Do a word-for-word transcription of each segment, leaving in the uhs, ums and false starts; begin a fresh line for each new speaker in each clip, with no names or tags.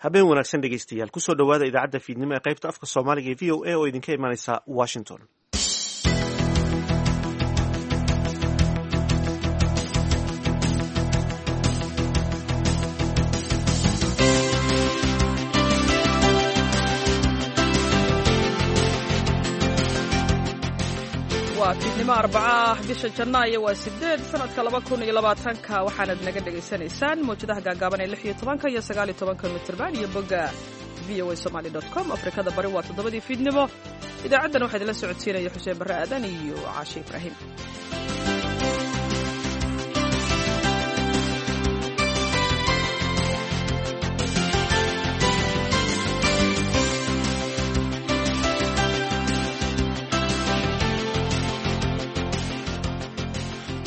Habeen wanaagsan dhegeystayaal, kusoo dhowaada idaacadda fiidnimo ee qaybta afka Soomaaliga ee V O A oo idinka imanaysa Washington.
Waa fiidnimo arbaca ah, bisha janaayo waa sideed, sanadka laba kun iyo labaatanka. Waxaanad naga dhegaysanaysaan mawjadaha gaagaaban ee lix iyo tobanka iyo sagaal iyo tobanka mitirban iyo bogga V O A Somali dot com. Afrikada Bari waa toddobadii fiidnimo. Idaacaddan waxaa idinla socodsiinaya Xuseen Barre Aadan iyo Caashe Ibraahim.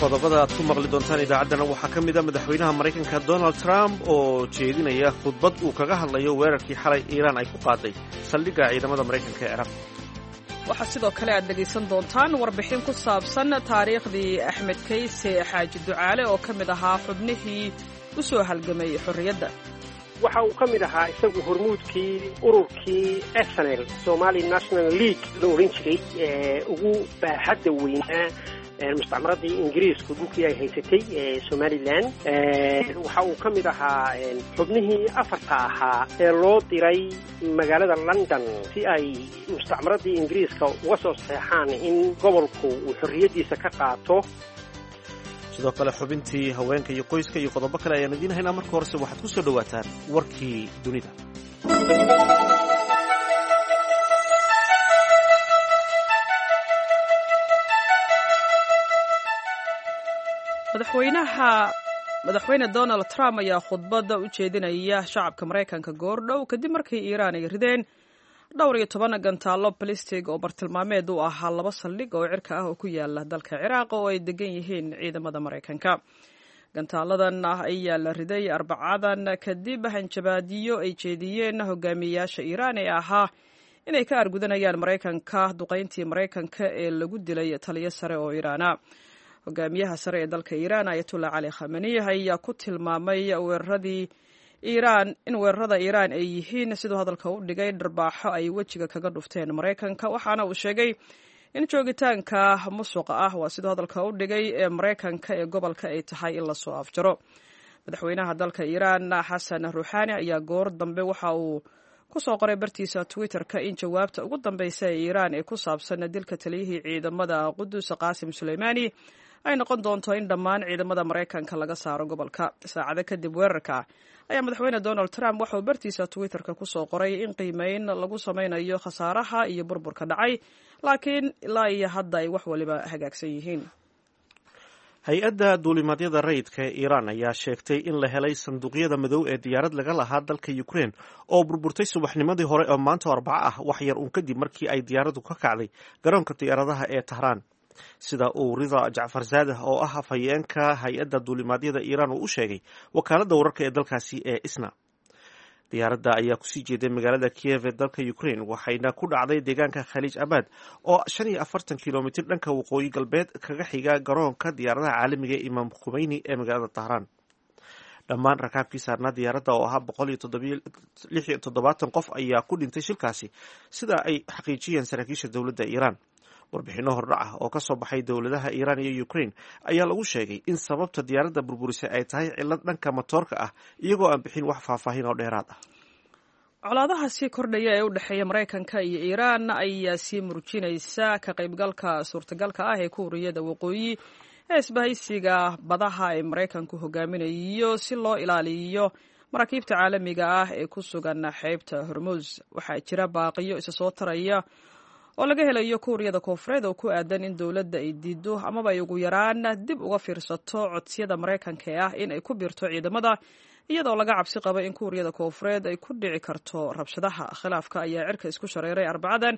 Qodobada aad ku maqli doontaan idaacaddana waxaa ka mid a madaxweynaha Maraykanka Donald Trump oo jeedinaya khudbad uu kaga hadlayo weerarkii xalay Iiraan ay ku qaaday saldhigga ciidamada Maraykanka ee Ciraaq.
Waxaa sidoo kale aad dhegaysan doontaan warbixin ku saabsan taariikhdii Axmed Kayse Xaaji Ducaale oo ka mid ahaa xubnihii u soo halgamay xorriyadda.
Waxa uu ka mid ahaa isagu hormuudkii ururkii S N L, Somali National League la odhan jiray, ee ugu baaxadda weynaa mustacmaradii Ingiriisku dhulkii ay haysatay ee Somaliland. Waxa uu ka mid ahaa xubnihii afarta ahaa ee loo diray magaalada London si ay mustacmaradii Ingiriiska uga soo saxeexaan in gobolku uu xorriyaddiisa ka qaato.
Sidoo kale xubintii haweenka iyo qoyska iyo qodobo kale ayaan idiin haynaa. Marka horese waxaad ku soo dhowaataan warkii dunida.
Madaxweynaha madaxweyne Donald Trump ayaa khudbadda u jeedinaya shacabka Maraykanka goordhow kadib markii Iiraan ay rideen dhowr iyo toban gantaallo balistig oo bartilmaameed u ahaa laba saldhig oo cirka ah oo ku yaala dalka Ciraaq oo ay degan yihiin ciidamada Maraykanka. Gantaaladan ah ayaa la riday Arbacadan kadib hanjabaadiyo ay jeediyeen hogaamiyeyaasha Iiraan ee ahaa inay ka argudanayaan Maraykanka duqayntii Maraykanka ee lagu dilay taliyo sare oo Iiraana. Hogaamiyaha sare ee dalka Iiraan, Ayatullah Cali Khamani, ayaa ku tilmaamay weeraradii Iiraan in weerarada Iiraan ay yihiin, siduu hadalka u dhigay, dharbaaxo ay wejiga kaga dhufteen Maraykanka, waxaana uu sheegay in joogitaanka musuqa ah, waa siduu hadalka u dhigay, ee Maraykanka ee gobolka ay tahay in lasoo afjaro. Madaxweynaha dalka Iiraan Xasan Ruuxaani ayaa goor dambe waxa uu kusoo qoray bartiisa Twitter-ka in jawaabta ugu dambeysa ee Iiraan ee ku saabsan dilka taliyihii ciidamada Qudus Qaasim Suleymaani ay noqon doonto in dhammaan ciidamada Maraykanka laga saaro gobolka. Saacado kadib weerarka ayaa madaxweyne Donald Trump waxauu bartiisa Twitter-ka kusoo qoray in qiimeyn lagu sameynayo khasaaraha iyo burburka dhacay, laakiin ilaa iyo hadda ay wax waliba hagaagsan yihiin.
Hay-adda duulimaadyada rayidka ee Iiraan ayaa sheegtay in la helay sanduuqyada madow ee diyaarad laga lahaa dalka Ukraine oo burburtay subaxnimadii hore oo maanta Arbaco ah, wax yar uun kadib markii ay diyaaraddu ka kacday garoonka diyaaradaha ee Tahraan, sida uu Rida Jacfar Zaadah oo ah afhayeenka hay-adda duulimaadyada Iiraan uu u sheegay wakaaladda wararka ee dalkaasi ee ISNA. Diyaaradda ayaa kusii jeeday magaalada Kiev ee dalka Ukraine, waxayna ku dhacday deegaanka Khaliij Abad oo shan iyo afartan kilomitir dhanka waqooyi galbeed kaga xiga garoonka diyaaradaha caalamiga ee Imaam Khumeyni ee magaalada Tahraan. Dhammaan rakaabkii saarnaa diyaaradda oo ahaa boqol iyo lix iyo toddobaatan qof ayaa ku dhintay shilkaasi, sida ay xaqiijiyeen saraakiisha dowladda Iiraan. Warbixinno hordhac ah oo ka soo baxay dowladaha Iiraan iyo Ukraine ayaa lagu sheegay in sababta diyaaradda burburisay ay tahay cillad dhanka matoorka ah, iyagoo aan bixin wax faahfaahin oo dheeraad ah.
Colaadaha sii kordhaya ee u dhexeeya Maraykanka iyo Iiraan ayaa sii murjinaysa ka qaybgalka suurtagalka ah ee Kuuriyada Waqooyi ee isbahaysiga badaha ee Maraykanku hogaaminayo si loo ilaaliyo maraakiibta caalamiga ah ee ku sugan xeebta Hormuus. Waxaa jira baaqiyo isa soo taraya oo laga helayo Kuuriyada Koonfureed oo ku aadan in dowladda ay diido amaba ay ugu yaraan dib uga fiirsato codsiyada Maraykanka ee ah in ay ku biirto ciidamada, iyadoo laga cabsi qabo in Kuuriyada Koonfureed ay ku dhici karto rabshadaha. Khilaafka ayaa cirka isku shareeray Arbacadan,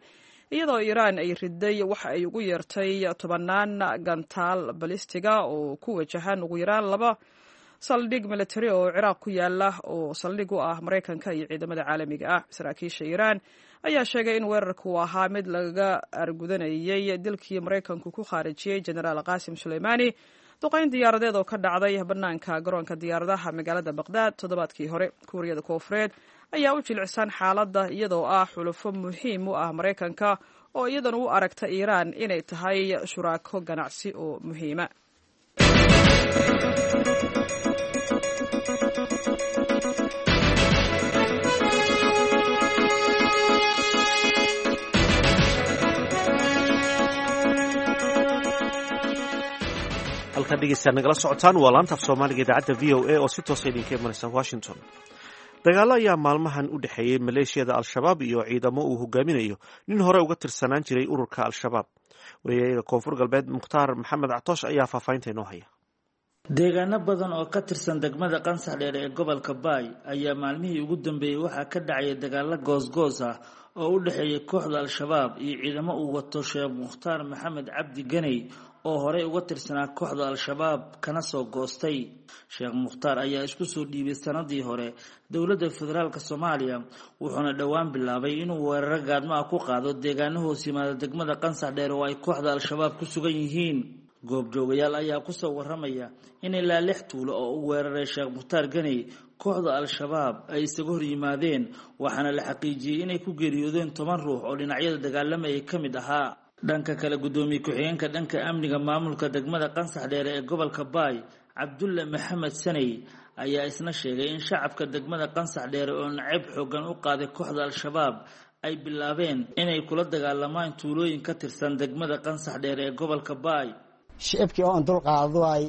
iyadoo Iiraan ay riday waxa ay ugu yeertay tobanaan gantaal balistiga oo ku wajahan ugu yaraan laba saldhig military oo Ciraaq ku yaala oo saldhig u ah Maraykanka iyo ciidamada caalamiga ah. Saraakiisha Iiraan ayaa sheegay in weerarku ahaa mid laga argudanayay dilkii Maraykanku ku khaarijiyey Jenaraal Qaasim Suleymaani duqayn diyaaradeed oo ka dhacday bannaanka garoonka diyaaradaha magaalada Baqdaad toddobaadkii hore. Kuuriyada Koonfureed ayaa u jilicsan xaaladda iyadoo ah xulufo muhiim u ah Maraykanka oo iyadana u aragta Iiraan inay tahay shuraako ganacsi oo muhiima.
Halkaad dhegeystaad nagala socotaan waa laanta af soomaaliga idaacadda V O A oo si toosa idinka imanaysa Washington. Dagaallo ayaa maalmahan u dhexeeyey maleeshiyada Al-Shabaab iyo ciidamo uu hogaaminayo nin hore uga tirsanaan jiray ururka Al-Shabaab. Wariyayaga Koonfur Galbeed Mukhtaar Maxamed Catoosh ayaa faahfaahinta inoo haya.
Deegaano badan oo ka tirsan degmada Qansax Dheere ee gobolka Baay ayaa maalmihii ugu dambeeyey waxaa ka dhacaya dagaalo goosgoos ah oo u dhexeeya kooxda Al-Shabaab iyo ciidamo uu wato Sheekh Mukhtaar Maxamed Cabdi Ganey oo horey uga tirsanaa kooxda Al-Shabaab kana soo goostay. Sheekh Mukhtaar ayaa isku soo dhiibay sanadii hore dowladda federaalk Soomaaliya, wuxuuna dhowaan bilaabay inuu weeraro gaadmo ah ku qaado deegaano hoos yimaada degmada Qansax Dheere oo ay kooxda Al-Shabaab ku sugan yihiin. Goobjoogayaal ayaa kusoo waramaya in ilaa lix tuulo oo u weeraray Sheekh Mukhtaar Ganey kooxda Al-Shabaab ay isaga hor yimaadeen, waxaana la xaqiijiyey inay ku geeriyoodeen toban ruux oo dhinacyada dagaalamayay ka mid ahaa. Dhanka kale, guddoomiye ku-xigeenka dhanka amniga maamulka degmada Qansax Dheere ee gobolka Baay, Cabdulle Maxamed Saney, ayaa isna sheegay in shacabka degmada Qansax Dheere oo nacayb xoogan u qaaday kooxda Al-Shabaab ay bilaabeen inay kula dagaalamaan tuulooyin ka tirsan degmada Qansax Dheere ee gobolka Baay.
Shicibkii oo an dul qaaduay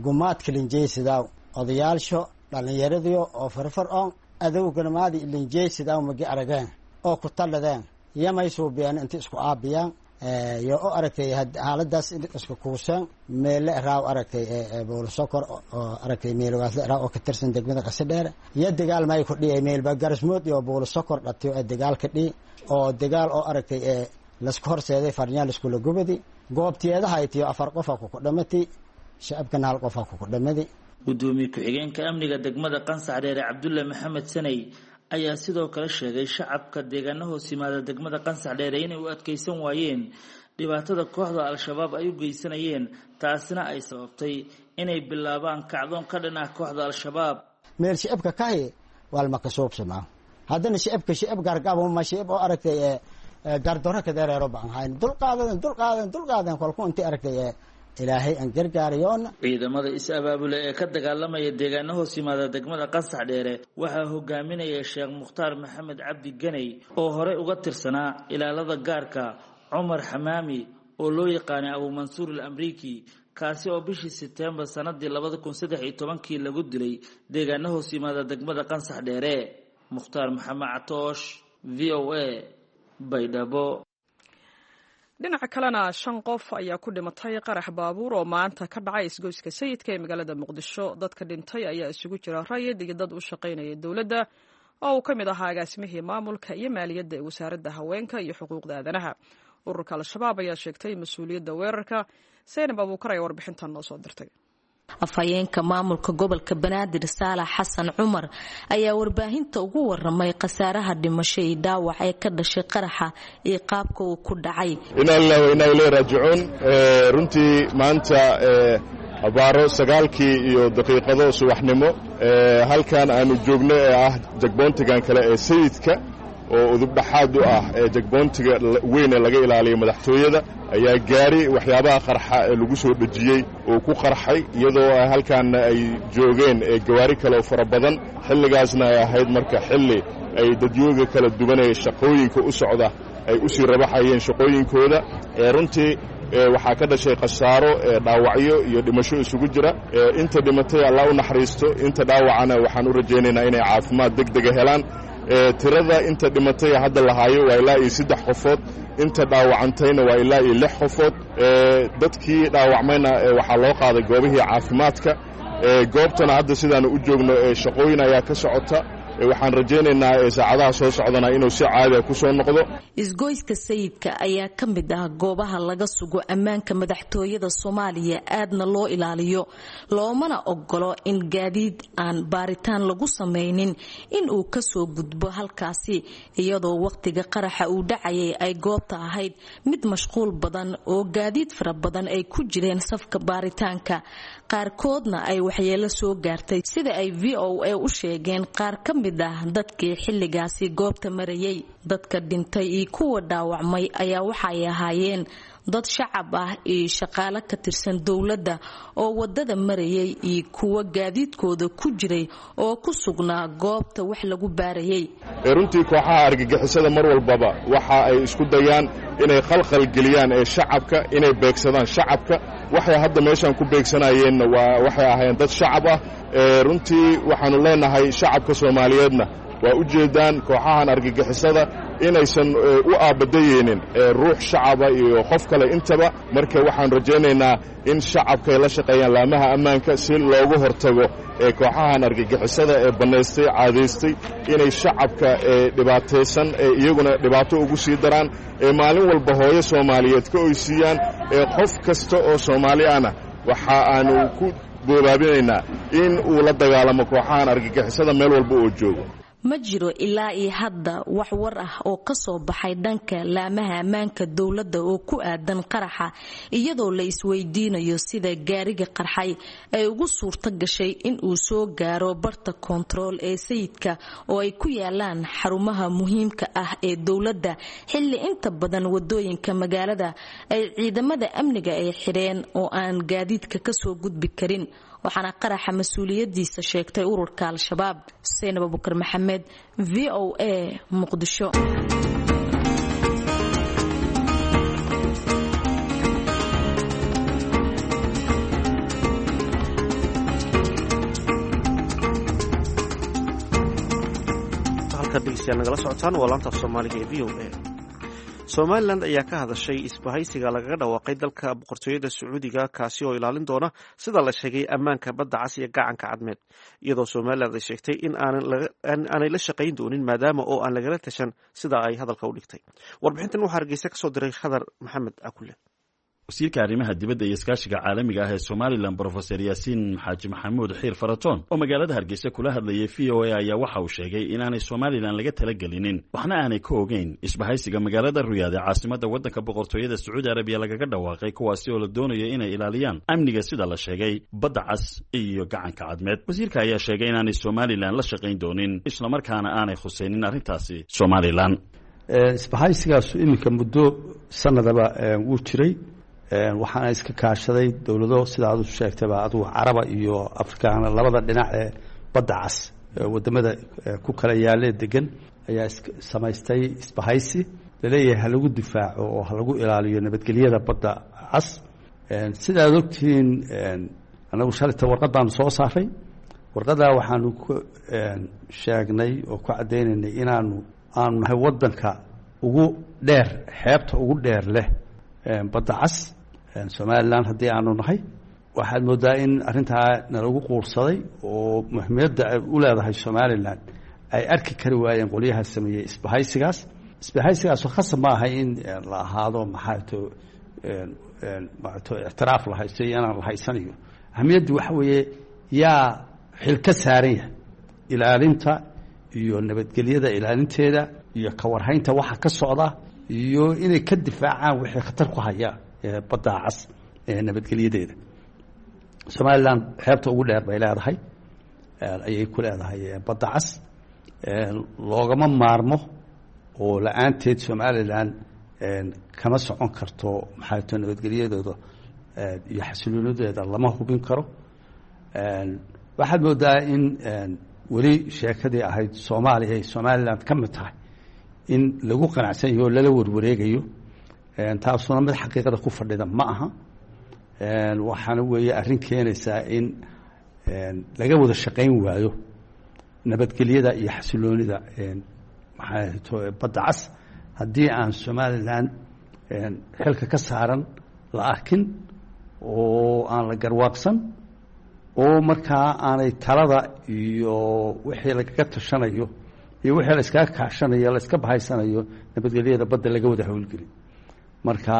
gumaadka linjeysidaw odayaalsho dhallinyaradiyo oo farfar on adowganamaadi linjeysidaw magi arageen oo ku talladeen yamay suubiyeen inta isku aabiyaan yo u aragtay xaaladaas isku kuuseen meele raaw aragtay boolisokor oo aragtay meelgaasle raaw oo ka tirsan degmada Qasadheere iyo dagaal may ku dhiyay meelba garasmood iyo boolisokor dhatiyo ee dagaal ka dhiy oo dagaal oo aragtay ee lasku horseeday farnyaal iskula gubadi goobtiyeedaha aytiyo afar qofa ku kudhamati shacabkana hal qofa ku kudhamadi.
Guddoomiye ku-xigeenka amniga degmada Qansax Dheere Cabdulle Maxamed Saney ayaa sidoo kale sheegay shacabka deegaano hoos yimaada degmada Qansax Dheere inay u adkeysan waayeen dhibaatada kooxda Al-Shabaab ay u geysanayeen, taasina ay sababtay inay bilaabaan kacdoon ka dhan ah kooxda Al-Shabaab.
Meel shicibka kahi waalma kasuubsamaa haddana shicibka shicib gargabuma shicib oo aragtay gardaro kadeereero baan hayn dulqaadaden dulqaadaden dulqaadaden kolku intii aragtay ilaahay aan gargaarayoona.
Ciidamada is-abaabula ee ka dagaalamaya deegaano hoos yimaada degmada Qansax Dheere waxaa hogaaminaya Sheekh Mukhtaar Maxamed Cabdi Ganey oo horey uga tirsanaa ilaalada gaarka Cumar Xamaami oo loo yaqaanay Abu Mansuur al-Amriiki, kaasi oo bishii Sebtembar sanadii labada kun saddex iyo tobankii lagu dilay deegaano hoos yimaada degmada Qansax Dheere. Mukhtaar Maxamed Catoosh, V O A, Baydhabo.
Dhinaca kalena, shan qof ayaa ku dhimatay qarax baabuur oo maanta ka dhacay isgoyska Sayidka ee magaalada Muqdisho. Dadka dhintay ayaa isugu jira rayid iyo dad u shaqaynaya dowladda oo uu ka mid ahaa agaasimihii maamulka iyo maaliyadda ee wasaaradda haweenka iyo xuquuqda aadanaha. Ururka Al-Shabaab ayaa sheegtay mas-uuliyadda weerarka. Seynab Abuukar ayaa warbixintan noo soo dirtay.
Afhayeenka maamulka gobolka Banaadir Saalax Xasan Cumar ayaa warbaahinta ugu waramay khasaaraha dhimasho iyo dhaawac ee ka dhashay qaraxa iyo qaabka uu ku dhacay.
Inaa lillahi wa inaa ilayhi raajicuun. Runtii maanta abaaro sagaalkii iyo daqiiqado subaxnimo halkan aanu joogno ee ah jagboontigan kale ee Sayidka oo udubdhaxaad u ah ee jagboontiga weyn ee laga ilaaliyo madaxtooyada ayaa gaari waxyaabaha qarxa ee lagu soo dhejiyey oo ku qarxay, iyadoo halkaanna ay joogeen gawaari kale oo fara badan. Xilligaasna ay ahayd marka xilli ay dadyooga kala duwan ee shaqooyinka u socda ay u sii rabaxayeen shaqooyinkooda. Runtii waxaa ka dhashay khasaaro, dhaawacyo iyo dhimasho isugu jira. Inta dhimatay Allah u naxariisto, inta dhaawacana waxaan u rajaynaynaa inay caafimaad deg dega helaan. Tirada inta dhimatay hadda lahaayo waa ilaa iyo saddex qofood, inta dhaawacantayna waa ilaa iyo lix qofood. Dadkii dhaawacmayna waxaa loo qaaday goobihii caafimaadka. Goobtana hadda sidaanu u joogno shaqooyin ayaa ka socota. Waxaan rajaynaynaa saacadaha soo socdana inuu si caadiya ku soo noqdo.
Isgoyska Sayidka ayaa ka mid ah goobaha laga sugo ammaanka madaxtooyada Soomaaliya, aadna loo ilaaliyo, loomana ogolo in gaadiid aan baaritaan lagu samaynin in uu kasoo gudbo halkaasi, iyadoo waqtiga qaraxa uu dhacayay ay goobta ahayd mid mashquul badan oo gaadiid fara badan ay ku jireen safka baaritaanka, qaarkoodna ay waxyeelo soo gaartay, sida ay V O A u sheegeen qaar ka mid mid ah dadkii xilligaasi goobta marayay. Dadka dhintay iyo kuwa dhaawacmay ayaa waxay ahaayeen dad shacab ah iyo shaqaale ka tirsan dowladda oo wadada marayay iyo kuwa gaadiidkooda ku jiray oo ku sugnaa goobta wax lagu baarayay.
Runtii kooxaha argagixisada mar walbaba waxa ay isku dayaan inay khalkhal geliyaan ee shacabka, inay beegsadaan shacabka. Waxay hadda meeshaan ku beegsanayeenna waa waxay ahaayeen dad shacab ah. Runtii waxaannu leenahay shacabka Soomaaliyeedna waa u jeedaan kooxahan argagixisada inaysan u aabadayeynin ruux shacaba iyo qof kale intaba. Marka waxaan rajaynaynaa in shacabka ay la shaqeeyaan laamaha ammaanka si loogu hortago ee kooxahan argagixisada ee bannaystay, caadaystay inay shacabka ee dhibaataysan ee iyaguna dhibaato ugu sii daraan, ee maalin walba hooyo Soomaaliyeed ka oysiiyaan, ee qof kasta oo Soomaali ahna waxa aanu ku boobaabinaynaa in uu la dagaalamo kooxahan argagixisada meel walba oo joogo.
Ma jiro ilaa iyo hadda wax war ah oo ka soo baxay dhanka laamaha ammaanka dowladda oo ku aadan qaraxa, iyadoo la isweydiinayo sida gaariga qarxay ay ugu suurto gashay in uu soo gaaro barta koontarool ee Sayidka oo ay ku yaalaan xarumaha muhiimka ah ee dowladda, xilli inta badan wadooyinka magaalada ay ciidamada amniga ay xidheen oo aan gaadiidka kasoo gudbi karin. Waxaana qaraxa mas-uuliyadiisa sheegtay ururka Al-Shabaab. Xuseen Abubakar Maxamed, V O A, Muqdisho.
Halkaad dhegeystayaal nagala socotaan waa laanta af Soomaaliga ee V O A. Somalilan ayaa ka hadashay isbahaysiga lagaga dhawaaqay dalka boqortooyada Sacuudiga, kaasi oo ilaalin doona sida la sheegay ammaanka badda cas iyo gacanka Cadmeed, iyadoo Somalilan ay sheegtay in aanay la shaqayn doonin maadaama oo aan lagala tashan sida ay hadalka u dhigtay. Warbixintan waxaa Hargeysa kasoo diray Khadar Maxamed Akule.
Wasiirka arrimaha dibadda iyo iskaashiga caalamiga ah ee Somalilan, Brofeser Yaasiin Xaaji Maxamuud Xiir Faratoon, oo magaalada Hargeysa kula hadlayay V O A, ayaa waxa uu sheegay inaanay Somalilan laga talagelinin waxna aanay ka ogeyn isbahaysiga magaalada Riyaad ee caasimadda waddanka boqortooyada Sacuudi Arabiya lagaga dhawaaqay, kuwaasi oo la doonayo inay ilaaliyaan amniga sida la sheegay badda cas iyo gacanka Cadmeed. Wasiirka ayaa sheegay inaanay Somalilan la shaqayn doonin, islamarkaana aanay khusaynin arrintaasi Somalilan.
Isbahaysigaasu iminka muddo sanadaba wuu jiray, waxaana iska kaashaday dowlado sida aad u sheegtayba adugu Caraba iyo Afrikaana, labada dhinac ee badda cas wadamada ku kala yaalee degan ayaa samaystay isbahaysi laleeyahay ha lagu difaaco oo ha lagu ilaaliyo nabadgelyada badda cas. Sida aad ogtihiin, anagu shalayta warqad baanu soo saaray. Warqaddaa waxaanu ku sheegnay oo ku caddaynaynay inaanu aanu nahay waddanka ugu dheer, xeebta ugu dheer leh badda cas, Somalilan haddii aanu nahay. Waxaad moodaa in arrintaa nalagu quursaday oo muhiimiyadda ay u leedahay Somalilan ay arki kari waayeen qolyaha sameeyey isbahaysigaas. Isbahaysigaasoo khasab ma aha in la ahaado maxaato maato ictiraaf la haysto iyo inaan la haysanayo. Ahamiyaddu waxa weeye yaa xil ka saaran yahay ilaalinta iyo nabadgelyada ilaalinteeda iyo kawarhaynta waxa ka socda iyo inay ka difaacaan wixii khatar ku haya badda cas ee nabadgelyadeeda. Somalilan xeebta ugu dheer bay leedahay, ayay ku leedahay badda cas, loogama maarmo oo la-aanteed Somalilan kama socon karto, maxaato nabadgelyadooda iyo xasiloonideeda lama hubin karo. Waxaad moodaa in weli sheekadii ahayd Soomaaliya ay Somalilan ka mid tahay in lagu qanacsan yaho oo lala warwareegayo, taasuna mid xaqiiqada ku fadhida ma aha. Waxaana weeye arrin keenaysaa in laga wada shaqayn waayo nabadgelyada iyo xasiloonida maxaa badda cas haddii aan Somalilan xilka ka saaran la arkin oo aan la garwaaqsan oo markaa aanay talada iyo wixii lagaga tashanayo iyo wixii la iskaga kaashanayo la iska bahaysanayo nabadgelyada badda laga wada howlgelin. Marka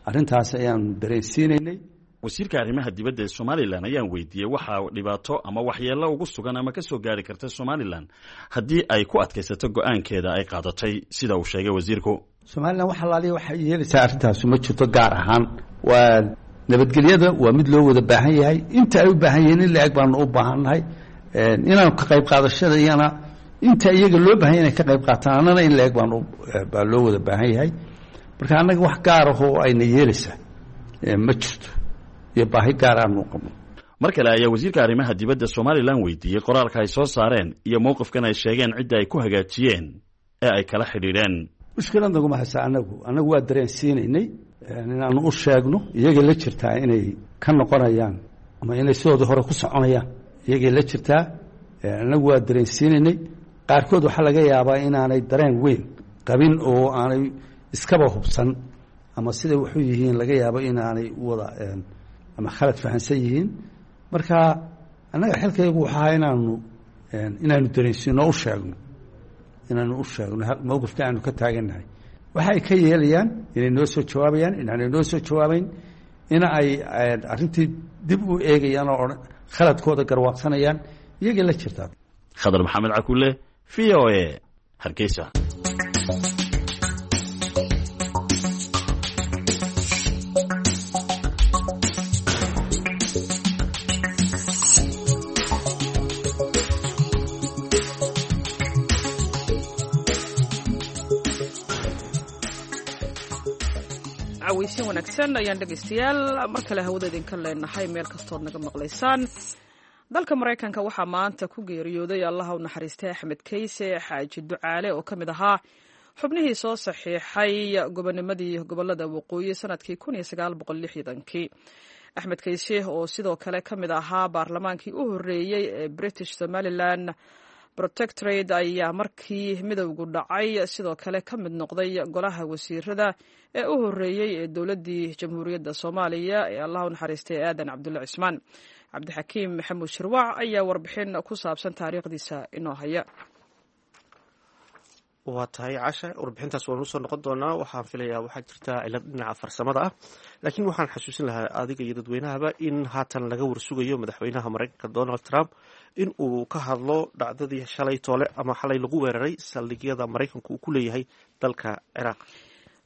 arrintaas ayaanu dareensiinaynay.
Wasiirka arrimaha dibadda ee Somalilan ayaan weydiiyey waxaa dhibaato ama waxyeello ugu sugan ama ka soo gaari karta Somalilan haddii ay ku adkaysato go-aankeeda ay qaadatay sida uu sheegay wasiirku.
Somalilan wax alaaliya waxay yeelaysaa arrintaasu ma jirto. Gaar ahaan waa nabadgelyada waa mid loo wada baahan yahay, inta ay u baahan yihiin in la-eg baanu u baahannahay inaanu ka qayb qaadashada iyana Inta iyaga loo baahan yahay inay ka qayb qaataan, annana in la-eg baan baa loo wada baahan yahay. Marka annaga wax gaar ahoo ayna yeelaysaa ma jirto iyo baahi gaar aanu qabno.
Mar kale ayaa wasiirka arrimaha dibadda Somalilan weydiiyey qoraalka ay soo saareen iyo mowqifkan ay sheegeen cidda ay ku hagaajiyeen ee ay kala xidhiidheen.
Mushkilad naguma haysa anagu annagu waa dareensiinaynay inaanu u sheegno iyagay la jirtaa inay ka noqonayaan ama inay sidoodii hore ku soconayaan, iyagay la jirtaa. Annagu waa dareensiinaynay. Qaarkood waxaa laga yaabaa inaanay dareen weyn qabin oo aanay iskaba hubsan ama siday waxu yihiin, laga yaabo inaanay wada ama khalad fahansan yihiin. Marka annaga xilkaygu waxaa ahaa inaanu inaanu dareensiino, u sheegno, inaanu u sheegno mowqifka aanu ka taagannahay. Waxa ay ka yeelayaan, inay noo soo jawaabayaan, inaanay noo soo jawaabayn, in ay arrintii dib u eegayaan oo khaladkooda garwaaqsanayaan, iyagay la jirtaa.
Khadar Maxamed Cakule, V O A, Hargeysa.
Cawaysin wanaagsan ayaan dhegaystayaal mar kale hawada idinka leenahay meel kastood naga maqlaysaan. Dalka Maraykanka waxaa maanta ku geeriyooday, Allaha u naxariistay, Axmed Keyse Xaaji Ducaale oo ka mid ahaa xubnihii soo saxiixay gobonimadii gobolada waqooyi sanadkii kii. Axmed Keyse oo sidoo kale ka mid ahaa baarlamaankii u horreeyey ee British Somalilan Protectorate ayaa markii midowgu dhacay sidoo kale ka mid noqday golaha wasiirada ee u horreeyey ee dowladdii Jamhuuriyadda Soomaaliya ee Allah u naxariistay Aadan Cabdulle Cismaan. Cabdixakiim Maxamuud Shirwac ayaa warbixin ku saabsan taariikhdiisa inoo haya.
Waa tahay Casha, warbixintaas waanu usoo noqon doonaa. Waxaan filayaa waxaa jirta cilad dhinaca farsamada ah, laakiin waxaan xasuusin lahaa adiga iyo dadweynahaba in haatan laga warsugayo madaxweynaha Maraykanka Donald Trump in uu ka hadlo dhacdadii shalay toole ama xalay lagu weeraray saldhigyada Maraykanku uu ku leeyahay dalka Ciraaq.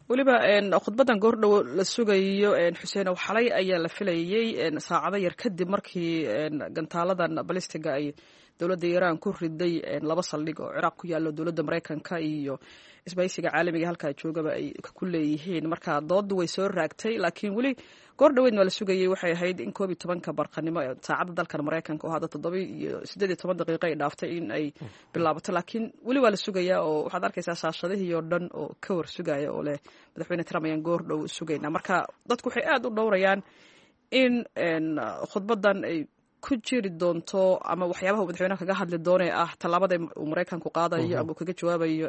Weliba khudbadan goordhow la sugayo, Xuseenow, xalay ayaa la filayey saacado yar kadib markii gantaaladan balistiga ay dowladda Iiraan ku riday laba saldhig oo Ciraaq ku yaallo, dowladda Maraykanka iyo isbaysiga caalamiga halkaa joogaba ay ku leeyihiin. Marka doodu way soo raagtay, laakiin weli goor dhoweyd waa la sugayey. Waxay ahayd in koob iyo tobanka barqanimo ee saacadda dalkan Maraykanka oo hadda toddoba iyo siddeed iyo toban daqiiqo ay dhaaftay in ay bilaabato, laakiin weli waa la sugayaa oo waxaad arkaysaa shaashadihii oo dhan oo ka war sugaya oo leh madaxweyne Trump ayaan goor dhow sugaynaa. Marka dadku waxay aada u dhowrayaan in khudbadan ay ku jiri doonto ama waxyaabaha uu madaxweynaha kaga hadli doonee ah tallaabada uu Maraykanku qaadayo ama uu kaga jawaabayo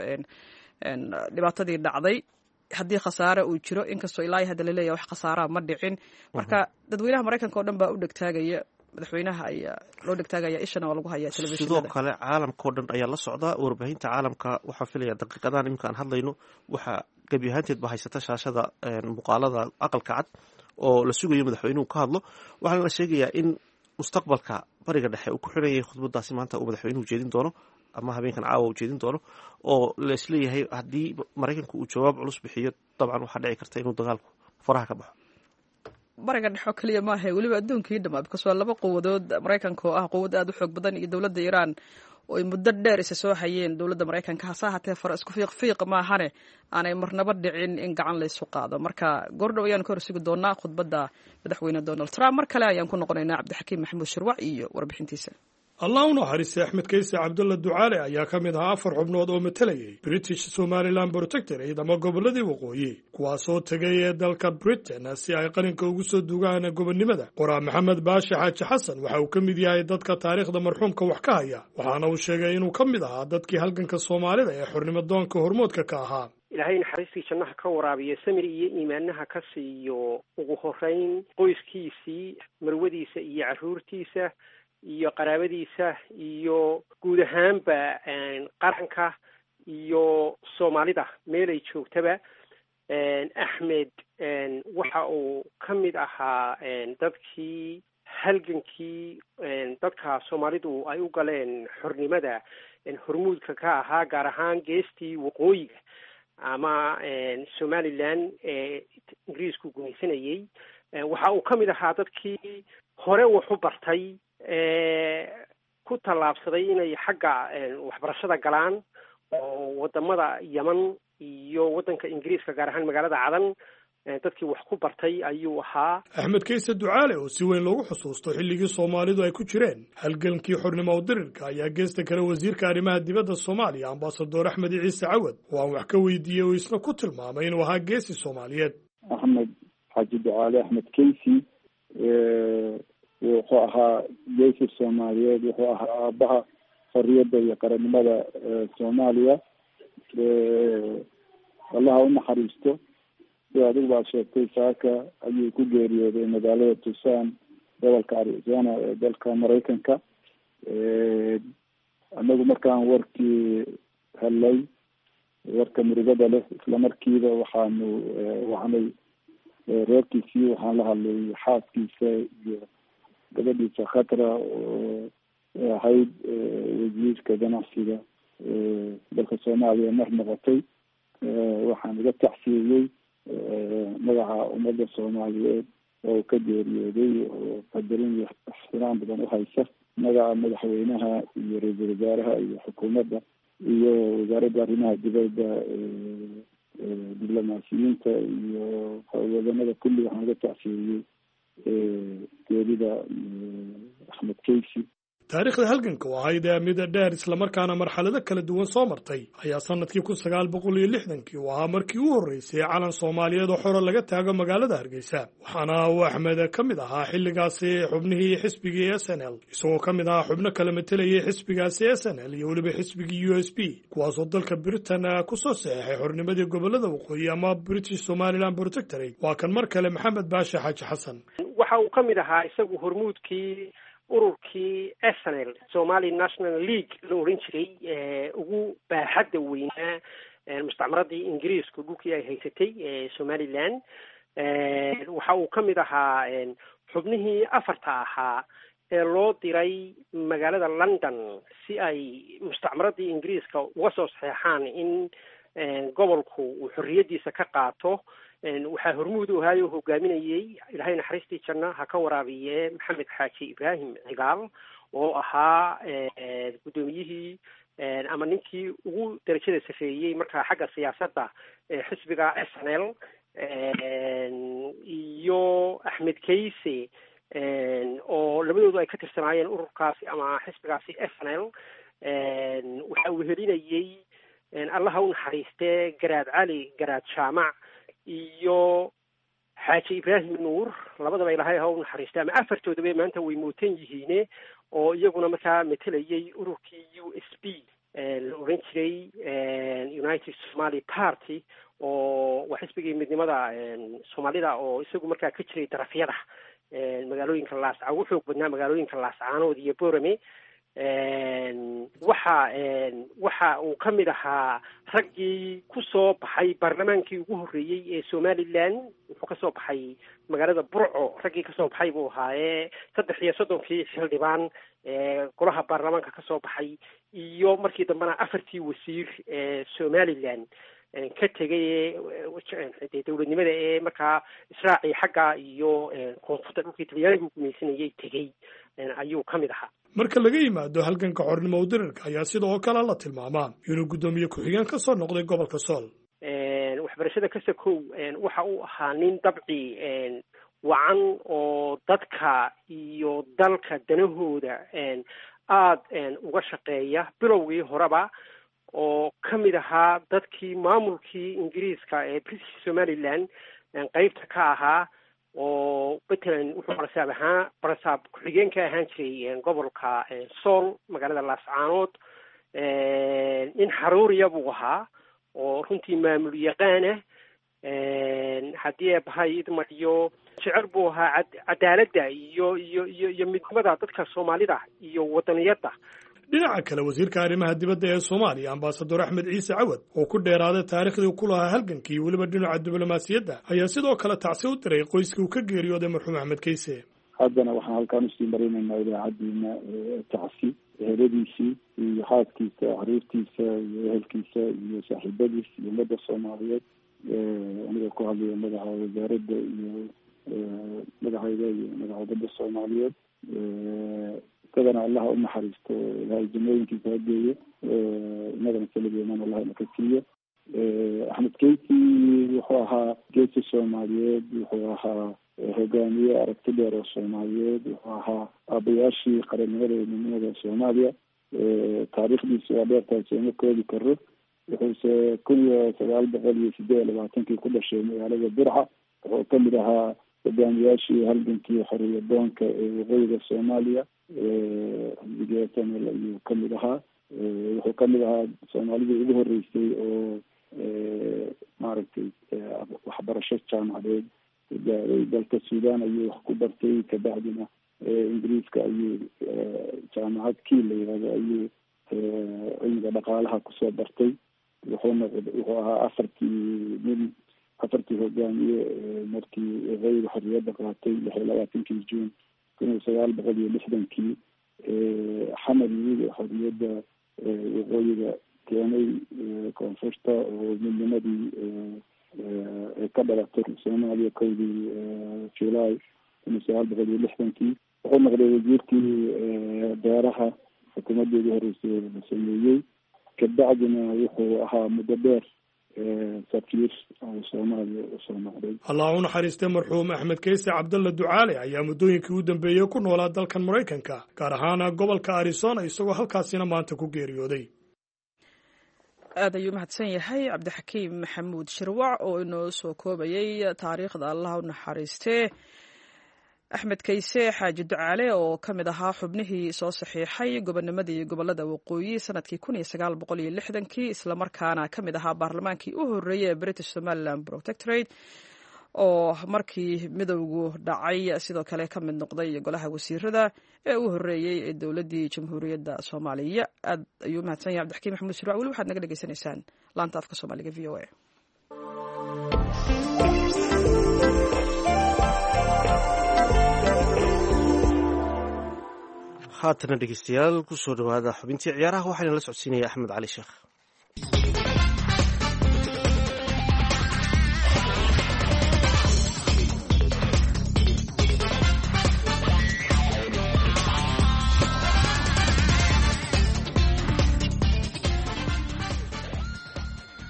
dhibaatadii dhacday haddii khasaare uu jiro, inkastoo ilaa hadda laleeyahay wax khasaaraa ma dhicin. Marka dadweynaha Maraykanka oo dhan baa u dhegtaagaya madaxweynaha, ayaa loo dhegtaagaya, ishana waa lagu hayaa
telefishinada. Sidoo kale caalamka oo dhan ayaa la socda warbaahinta caalamka. Waxaan filaya daqiiqadahan iminka aan hadlayno waxaa gebi ahaanteed ba haysata shaashada muuqaalada Aqalka Cad oo la sugayo madaxweynuhu ka hadlo. Waxaana la sheegayaa in mustaqbalka Bariga Dhexe uu ku xiranyay khudbadaasi maanta uu madaxweynuhu jeedin doono ama habeenkan caawa uu jeedin doono, oo laisleeyahay haddii Maraykanku uu jawaab culus bixiyo dabcan waxaa dhici karta inuu dagaalku faraha ka baxo.
Bariga Dhexo keliya maaha, weliba adduunkii dhamaa, because waa laba quwadood, Maraykanka oo ah quwad aada u xoog badan iyo dowladda Iiraan oo ay muddo dheer isa soo hayeen dowladda Maraykanka. Hase ahaatee fara isku fiiq fiiq maahane aanay marnaba dhicin in gacan laysu qaado. Marka goordhow ayaan ka hor sugi doonaa khudbadda madaxweyne Donald Trump. Mar kale ayaan ku noqonaynaa Cabdixakiim Maxamuud Shirwac iyo warbixintiisa.
Allah u naxariistay Axmed Kayse Cabdulla Ducaale ayaa ka mid ahaa afar xubnood oo matalayay British Somaliland Protectorate ama gobolladii waqooyi, kuwaasoo tegay ee dalka Britain si ay qalinka ugu soo dugaan gobonnimada. Qoraa Maxamed Baashe Xaaji Xasan waxa uu ka mid yahay dadka taariikhda marxuumka wax ka haya, waxaana uu sheegay inuu ka mid ahaa dadkii halganka Soomaalida ee xornimo doonka hormoodka ka ahaa.
Ilaahay naxariistii jannaha ka waraabiyo, samir iyo iimaanaha ka siiyo ugu horeyn qoyskiisii, marwadiisa iyo carruurtiisa iyo qaraabadiisa iyo guud ahaanba qaranka iyo Soomaalida meelay joogtaba. Axmed waxa uu ka mid ahaa dadkii halgankii dadka Soomaalidu ay u galeen xornimada hormuudka ka ahaa, gaar ahaan geestii waqooyiga ama Somaliland ee Ingiriisku gumaysanayey. Waxa uu ka mid ahaa dadkii hore wax u bartay. ku tallaabsaday inay xagga waxbarashada galaan oo wadamada Yemen iyo waddanka Ingiriiska, gaar ahaan magaalada Cadan, dadkii wax ku bartay ayuu ahaa.
Axmed Kayse Ducaale oo si weyn loogu xusuusto xilligii Soomaalidu ay ku jireen halgankii xornimo udirirka ayaa geesta kale wasiirka arrimaha dibadda Soomaaliya, ambasador Axmed Ciise Cawad, oo aan wax ka weydiiyey oo isna ku tilmaamay inuu ahaa geesi Soomaaliyeed.
Axmed Xaaji Ducaale Axmed Kaysi wuxuu ahaa geesi Soomaaliyeed, wuxuu ahaa aabaha xorriyadda iyo qarannimada Soomaaliya. Allaha u naxariisto. Sida adigu baad sheegtay, saaka ayuu ku geeriyooday magaalada Tucson, gobolka Arizona ee dalka Maraykanka. Anagu markaan warkii helay, warka murugada leh, isla markiiba waxaanu wacnay reerkiisii. Waxaan la hadlay xaaskiisa iyo gabadhiisa Khatra oo ahayd wasiirka ganacsiga dalka Soomaaliya mar noqotay. Waxaan uga tacsiiyey magaca ummadda Soomaaliyeed oo ka geeriyooday oo qadarin iyo ixtiraam badan uhaysa, magaca madaxweynaha iyo ra-iisul wasaaraha iyo xukuumadda iyo wasaaradda arrimaha dibadda, diblomaasiyiinta iyo wadanada kulli. Waxaan uga tacsiiyey geerida Axmed Kaysi.
Taariikhda halganka oo ahayd mid dheer islamarkaana marxalado kala duwan soo martay ayaa sanadkii kun sagaal boqol iyo lixdankii uu ahaa markii u horreysay calan Soomaaliyeed oo xoro laga taago magaalada Hargeysa. Waxaana uu Axmed ka mid ahaa xilligaasi xubnihii xisbigii S N L, isagoo ka mid ahaa xubno kala matelayay xisbigaasi S N L iyo weliba xisbigii U S P, kuwaasoo dalka Britain kusoo saxeexay xornimadii gobolada waqooyi ama British Somaliland Protectorate. Waa kan mar kale Maxamed Baashe Xaaji Xasan.
Waxa uu ka mid ahaa isagu hormuudkii ururkii S N L, Somali National League la odhan jiray, ugu baaxadda weynaa mustacmaradii Ingiriisku dhulkii ay haysatay Somaliland. Waxa uu ka mid ahaa xubnihii afarta ahaa ee loo diray magaalada London si ay mustacmaradii Ingiriiska uga soo saxeexaan in gobolku uu xorriyaddiisa ka qaato. Waxaa hormuud u ahaay oo hogaaminayey, Ilaahay naxariistii janna ha ka waraabiye, Maxamed Xaaji Ibraahim Cigaal oo ahaa guddoomiyihii ama ninkii ugu darajada safeeyey markaa xagga siyaasadda xisbiga S N L, iyo Axmed Kayse oo labadoodu ay ka tirsanaayeen ururkaasi ama xisbigaasi S N L. Waxa uu helinayey, Allaha u naxariistee, Garaad Cali Garaad Jaamac iyo Xaaji Ibraahim Nuur. Labadaba Ilaahay ha u naxariistay, ama afartoodaba maanta way mootan yihiine, oo iyaguna markaa matelayay ururkii U S P la odhan jiray, United Somali Party, oo waa xisbigii midnimada Soomaalida oo isagu markaa ka jiray darafyada magaalooyinka Laasca, ugu xoog badnaa magaalooyinka Laascaanood iyo Borame. Waxa waxa uu ka mid ahaa raggii ku soo baxay baarlamaankii ugu horreeyey ee Somaliland. Wuxuu kasoo baxay magaalada Burco. Raggii kasoo baxay buu ahaayee saddex iyo soddonkii xildhibaan ee golaha baarlamaanka kasoo baxay, iyo markii dambena afartii wasiir ee Somaliland ka tegay ee dowladnimada ee markaa israacii xagga iyo koonfurta dhulkii Talyaanigu gumaysanayay tegey ayuu ka mid ahaa.
Marka laga yimaado halganka xornimo udirirka ayaa sidoo kale la tilmaamaa inuu guddoomiye ku-xigeen ka soo noqday gobolka Sool.
Waxbarashada ka sakow, waxa uu ahaa nin dabci wacan oo dadka iyo dalka danahooda aada uga shaqeeya bilowgii horeba, oo ka mid ahaa dadkii maamulkii Ingiriiska ee British Somaliland qeybta ka ahaa, oo matalan wuxuu barasaab ahaa, barasaab ku-xigeen ka ahaan jiray gobolka Sool, magaalada Laascaanood. Nin xaruuriya buu ahaa oo runtii maamul yaqaana. Haddii eebahay idmadiyo jecel buu ahaa cadaaladda iyo iyo iyo iyo midnimada dadka Soomaalida iyo wadaniyadda.
Dhinaca kale, wasiirka arrimaha dibadda ee Soomaaliya, ambasador Axmed Ciise Cawad, oo ku dheeraaday taariikhdii ku lahaa halgankii weliba dhinaca diblomaasiyadda, ayaa sidoo kale tacsi u diray qoyskii uu ka geeriyooday marxuum Axmed Kayse.
Haddana waxaan halkaan usii marinaynaa idaacaddiina tacsi eheladiisii iyo xaaskiisa, caruurtiisa iyo ehelkiisa iyo saaxiibadiis iyo ummadda Soomaaliyeed. Aniga ku hadlaya madaxa wasaaradda iyo magacayda iyo magaca ummadda Soomaaliyeed, Isagana Allaha u naxariisto, Ilahay jannooyinkiisa ha geeyo, inagana saligeeman Allah ina ka siiyo. Axmed Keysi wuxuu ahaa geesi Soomaaliyeed, wuxuu ahaa hogaamiye aragti dheer oo Soomaaliyeed, wuxuu ahaa aabayaashii qarannimada iyo midnimada Soomaaliya. Taariikhdiisu waa dheertahay, sooma koobi karo. Wuxuuse kun iyo sagaal boqol iyo sideed iyo labaatankii ku dhashay magaalada Burca. Wuxuu kamid ahaa hogaamiyaashii halgankii xoriyadoonka ee waqooyiga Soomaaliya, xisbiga S N L ayuu kamid ahaa. Wuxuu kamid ahaa Soomaalidii ugu horeysay oo maaragtay waxbarasho jaamacadeed gaaray. Dalka Sudan ayuu wax ku bartay, kabacdina Ingiriiska ayuu jaamacad Kiel la yihahdo ayuu cilmiga dhaqaalaha kusoo bartay. Wuxuu noqd wuxuu ahaa afartii nin, afartii hogaamiye markii waqooyiga xorriyadda qaatay lix iyo labaatankii Juun kun iyo sagaal boqol iyo lixdankii Xamar yimid oo xorriyadda waqooyiga keenay koonfurta, oo midnimadii ay ka dhalatay Soomaaliya kowdii July kun iyo sagaal boqol iyo lixdankii. Wuxuu noqday wasiirkii beeraha xukuumaddii ugu horeysay la sameeyey. Kabacdina wuxuu ahaa muddo dheer safiir oo Soomaaliya usoo noqday.
Allah u naxariistay marxuum Axmed Keyse Cabdalla Ducaale ayaa muddooyinkii u dambeeyey ku noolaa dalkan Maraykanka, gaar ahaana gobolka Arizona, isagoo halkaasina maanta ku geeriyooday.
Aad ayuu mahadsan yahay Cabdixakiim Maxamuud Shirwac oo inoo soo koobayay taariikhda Allah u naxariistee Axmed Keyse Xaaji Ducaale, oo ka mid ahaa xubnihii soo saxiixay gobonimadii gobolada waqooyi sanadkii kun iyo sagaal boqol iyo lixdankii, islamarkaana ka mid ahaa baarlamaankii u horreeyey ee British Somaliland Protectorate, oo markii midowgu dhacay sidoo kale ka mid noqday golaha wasiirada ee u horreeyey ee dowladdii Jamhuuriyadda Soomaaliya. Aad ayuu mahadsan yahay Cabdixakiim Maxamuud Shirwac. Weli waxaad naga dhegeysanaysaan laanta afka Soomaaliga V O A.
Haatana dhegeystayaal, kusoo dhawaada xubintii ciyaaraha, waxaana la socodsiinaya Axmed Cali Sheekh.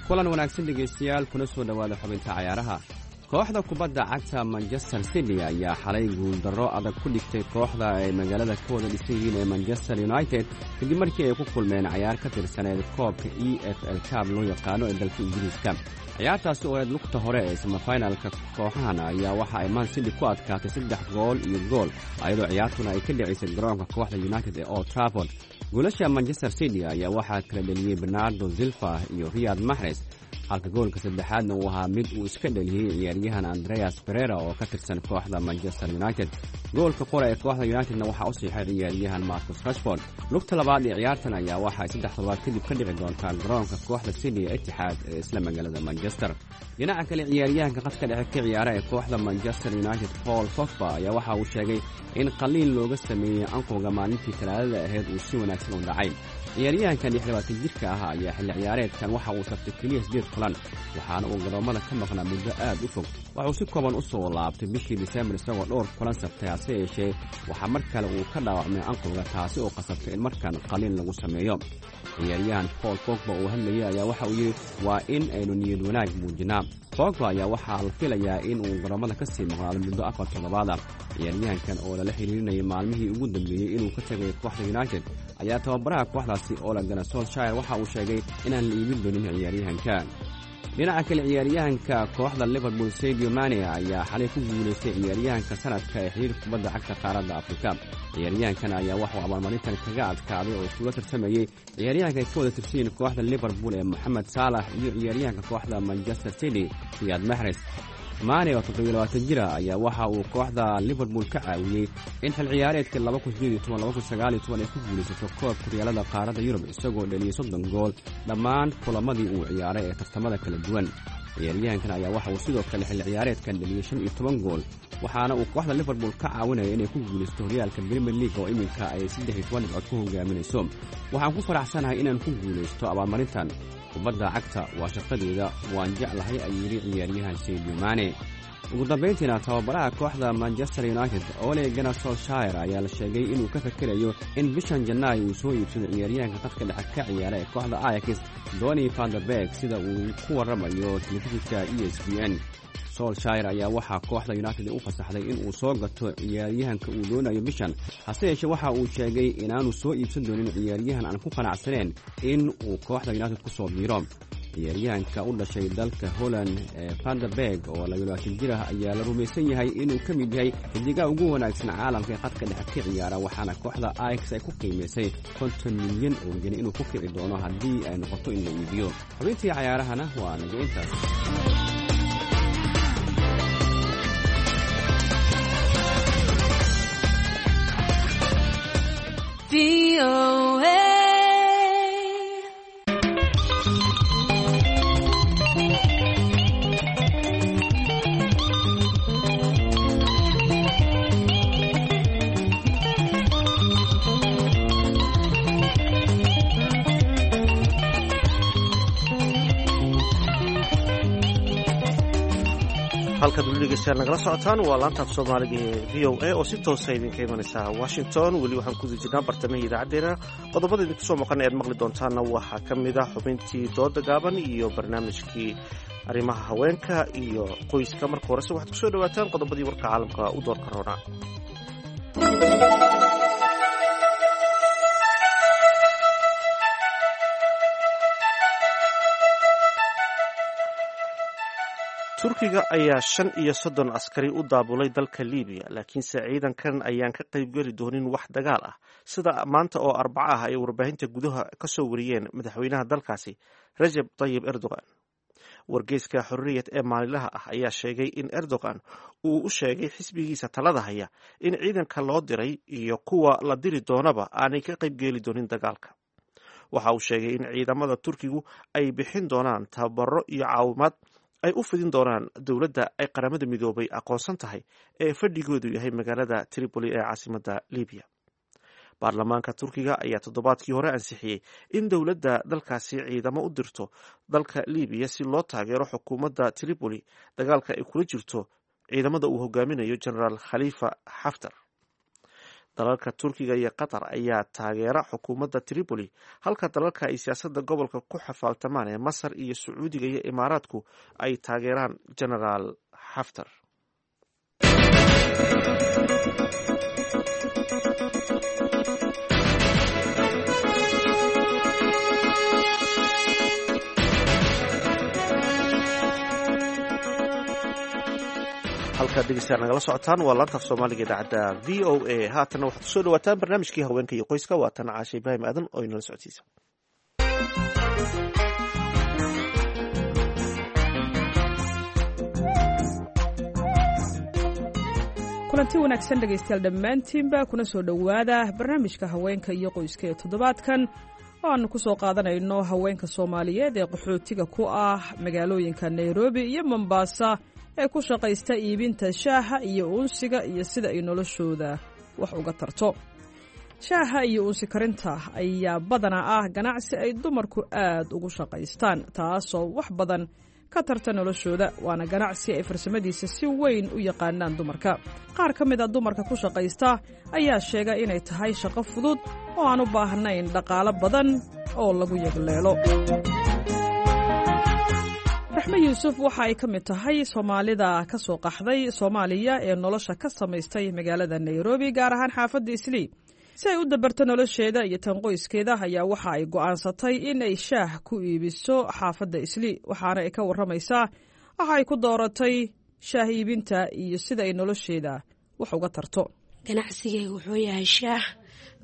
Kulan wanaagsan dhegaystayaal, kuna soo dhowaada xubinta cayaaraha. Kooxda kubadda cagta Manchester City ayaa xalay guuldarro adag ku dhigtay kooxda ay magaalada ka wada dhisan yihiin ee Manchester United, kadib markii ay ku kulmeen cayaar ka tirsaneed koobka E F L Cab loo yaqaano ee dalka Ingiriiska. Ciyaartaasi oo eed lugta hore ee samafinalka kooxahan ayaa waxa ay Man City ku adkaatay saddex gool iyo gool, ayadoo ciyaartuna ay ka dhicisay garoonka kooxda United ee Old Trafford. Goolasha Manchester City ayaa waxaa kala dheliyey Bernardo Silva iyo Riyad Maxres, halka goolka saddexaadna uu ahaa mid uu iska dheliyey ciyaaryahan Andreas Berera oo ka tirsan kooxda Manchester United. Goolka qora ee kooxda Unitedna waxaa u siixay ciyaaryahan Marcus Rashford. Lugta labaad ee ciyaartan ayaa waxa ay saddex toddobaad kadib ka dhici doontaa garoonka kooxda City ee Itixaad ee isla magaalada Manchester. Dhinaca kale, ciyaaryahanka khadka dhexe ka ciyaara ee kooxda Manchester United Paul Pogba ayaa waxa uu sheegay in qaliin looga sameeyey anqowga maalintii Talaadada ahayd uu si wanaagsan u dhacay. Ciyaaryahankan lix labaatan jirka ah ayaa xilli ciyaareedkan waxa uu sabtay keliya siddeed kulan, waxaana uu garoommada ka maqnaa muddo aad u fog. Waxauu si kooban u soo laabtay bishii Disembar isagoo dhowr kulan sabtay, hase yeeshee waxaa mar kale uu ka dhaawacmay anqowga, taasi oo qasabtay in markan qaliin lagu sameeyo. Ciyaaryahan Paul Pogba uu hadlayay ayaa waxa uu yidhi, waa in aynu niyad wanaag muujinaa. Pogba ayaa waxaa la filayaa in uu garoommada ka sii maqnaado muddo afar toddobaad ah. Ciyaaryahankan oo lala xiriirinayay maalmihii ugu dambeeyey inuu ka tagay kooxda United ayaa tababaraha kooxdaasi Ole Gunnar Solskjaer waxa uu sheegay inaan la iibin doonin ciyaaryahanka. Dhinaca kale, ciyaaryahanka kooxda Liverpool Sadio Mane ayaa xalay ku guulaystay ciyaaryahanka sanadka ee xiriirka kubadda cagta qaaradda Afrika. Ciyaaryahankan ayaa waxauu abaalmarintan kaga adkaaday oo iskula tartamayey ciyaaryahanka ay ka wada tirsanyihiin kooxda Liverpool ee Moxamed Saalax iyo ciyaaryahanka kooxda Manchester City Riyad Maxres. Mane oo toddobiyo labaatan jira ayaa waxa uu kooxda Liverpool ka caawiyey in xil ciyaareedkii laba kun sideed iyo toban laba kun sagaal iyo toban ay ku guulaysato koobka horyaalada qaaradda Yurub, isagoo dhaliyey soddon gool dhammaan kulamadii uu ciyaaray ee tartamada kala duwan. Ciyaaryahankan ayaa waxa uu sidoo kale xilli ciyaareedkan dhaliyey shan iyo toban gool, waxaana uu kooxda Liverpool ka caawinaya inay ku guulaysato horyaalka Premier League oo iminka ay saddex iyo toban dhibcood ku hogaaminayso. Waxaan ku faraxsanahay inaan ku guulaysto abaalmarintan. Kubadda cagta waa shaqadeeda, waan jeclahay, ayuu yidhi ciyaaryahan Sadio Mane. Ugu dambayntiina tababaraha kooxda Manchester United Ole Gunnar Solskjaer ayaa la sheegay inuu ka fakerayo in bishan Janaayo uu soo iibsado ciyaaryahanka khadka dhexe ka ciyaara ee kooxda Ajax Donny van de Beek, sida uu ku warramayo telefishinka E S P N. Solskjaer ayaa waxaa kooxda United u fasaxday in uu soo gato ciyaaryahanka uu doonayo bishan, hase yeeshee waxa uu sheegay inaanu soo iibsan doonin ciyaaryahan aan ku qanacsaneen in uu kooxda United ku soo biiro. Ciyaaryahanka u dhashay dalka Holland ee Van de Beek oo labaatan jir ah ayaa la rumaysan yahay inuu ka mid yahay xidigaha ugu wanaagsan caalamka ee khadka dhexe ka ciyaara, waxaana kooxda Ajax ay ku qiimaysay konton milyan oo geni inuu ku kici doono haddii ay noqoto in la iibiyo. Xubintii cayaarahana waa naga intaas.
Halkaad weli dhegeystayaal nagala socotaan waa laanta af soomaaliga ee V O A oo si toosa idinka imanaysa Washington. Weli waxaan ku jirnaa bartamihii idaacaddeenna. Qodobada idinku soo maqan ee aad maqli doontaanna waxaa ka mid ah xubintii dooda gaaban iyo barnaamijkii arrimaha haweenka iyo qoyska. Marka horese waxaad kusoo dhawaataan qodobadii warka caalamka u doorka roona. Turkiga ayaa shan iyo soddon askari u daabulay dalka Liibiya, laakiinse ciidankan ayaan ka qaybgeli doonin wax dagaal ah, sida maanta oo arbaco ah ay warbaahinta gudaha ka soo wariyeen madaxweynaha dalkaasi Rajab Tayyib Erdogan. Wargeyska Xorriyad ee maalinlaha ah ayaa sheegay in Erdogan uu u sheegay xisbigiisa talada haya in ciidanka loo diray iyo kuwa la diri doonaba aanay ka qaybgeli doonin dagaalka. Waxa uu sheegay in ciidamada Turkigu ay bixin doonaan tababaro iyo caawimaad ay u fidin doonaan dowladda ay qaramada midoobay aqoonsan tahay ee fadhigoodu yahay magaalada Tripoli ee caasimadda Libiya. Baarlamaanka Turkiga ayaa toddobaadkii hore ansixiyey in dowladda dalkaasi ciidamo u dirto dalka Libiya si loo taageero xukuumadda Tripoli dagaalka ay kula jirto ciidamada uu hogaaminayo Generaal Khalifa Xaftar. Dalalka Turkiga iyo Qatar ayaa taageera xukuumadda Tripoli, halka dalalka ay siyaasadda gobolka ku xafaaltamaan ee Masar iyo Sacuudiga iyo Imaaraadku ay taageeraan Generaal Xaftar. Halkaad dhegeystayaal nagala socotaan waa laanta af soomaaliga idaacadda V O A. Haatanna waxaad kusoo dhawaataan barnaamijkii haweenka iyo qoyska. Waa tan Caashe Ibraahim Aadan oo inala socodsiisa.
Kulanti wanaagsan dhegaystayaal dhammaantiinba, kuna soo dhowaada barnaamijka haweenka iyo qoyska ee toddobaadkan oo aannu ku soo qaadanayno haweenka Soomaaliyeed ee qaxootiga ku ah magaalooyinka Nairobi iyo Mombasa ee ku shaqaysta iibinta shaaha iyo uunsiga iyo sida ay noloshooda wax uga tarto. Shaaha iyo uunsi karinta ayaa badanaa ah ganacsi ay dumarku aad ugu shaqaystaan, taasoo wax badan ka tarta noloshooda, waana ganacsi ay farsamadiisa si weyn u yaqaanaan dumarka. Qaar ka mid a dumarka ku shaqaysta ayaa sheega inay tahay shaqo fudud oo aan u baahnayn dhaqaalo badan oo lagu yagleelo. Raxme Yuusuf waxa ay ka mid tahay Soomaalida ka soo qaxday Soomaaliya ee nolosha ka samaystay magaalada Nairobi, gaar ahaan xaafadda Islii. Si ay u dabarto nolosheeda iyo tan qoyskeeda ayaa waxa ay go'aansatay in ay shaah ku iibiso xaafadda Islii, waxaana ay ka warramaysaa waxa ay ku dooratay shaah iibinta iyo sida ay nolosheeda wax uga tarto.
Ganacsigeyga wuxuu yahay shaah.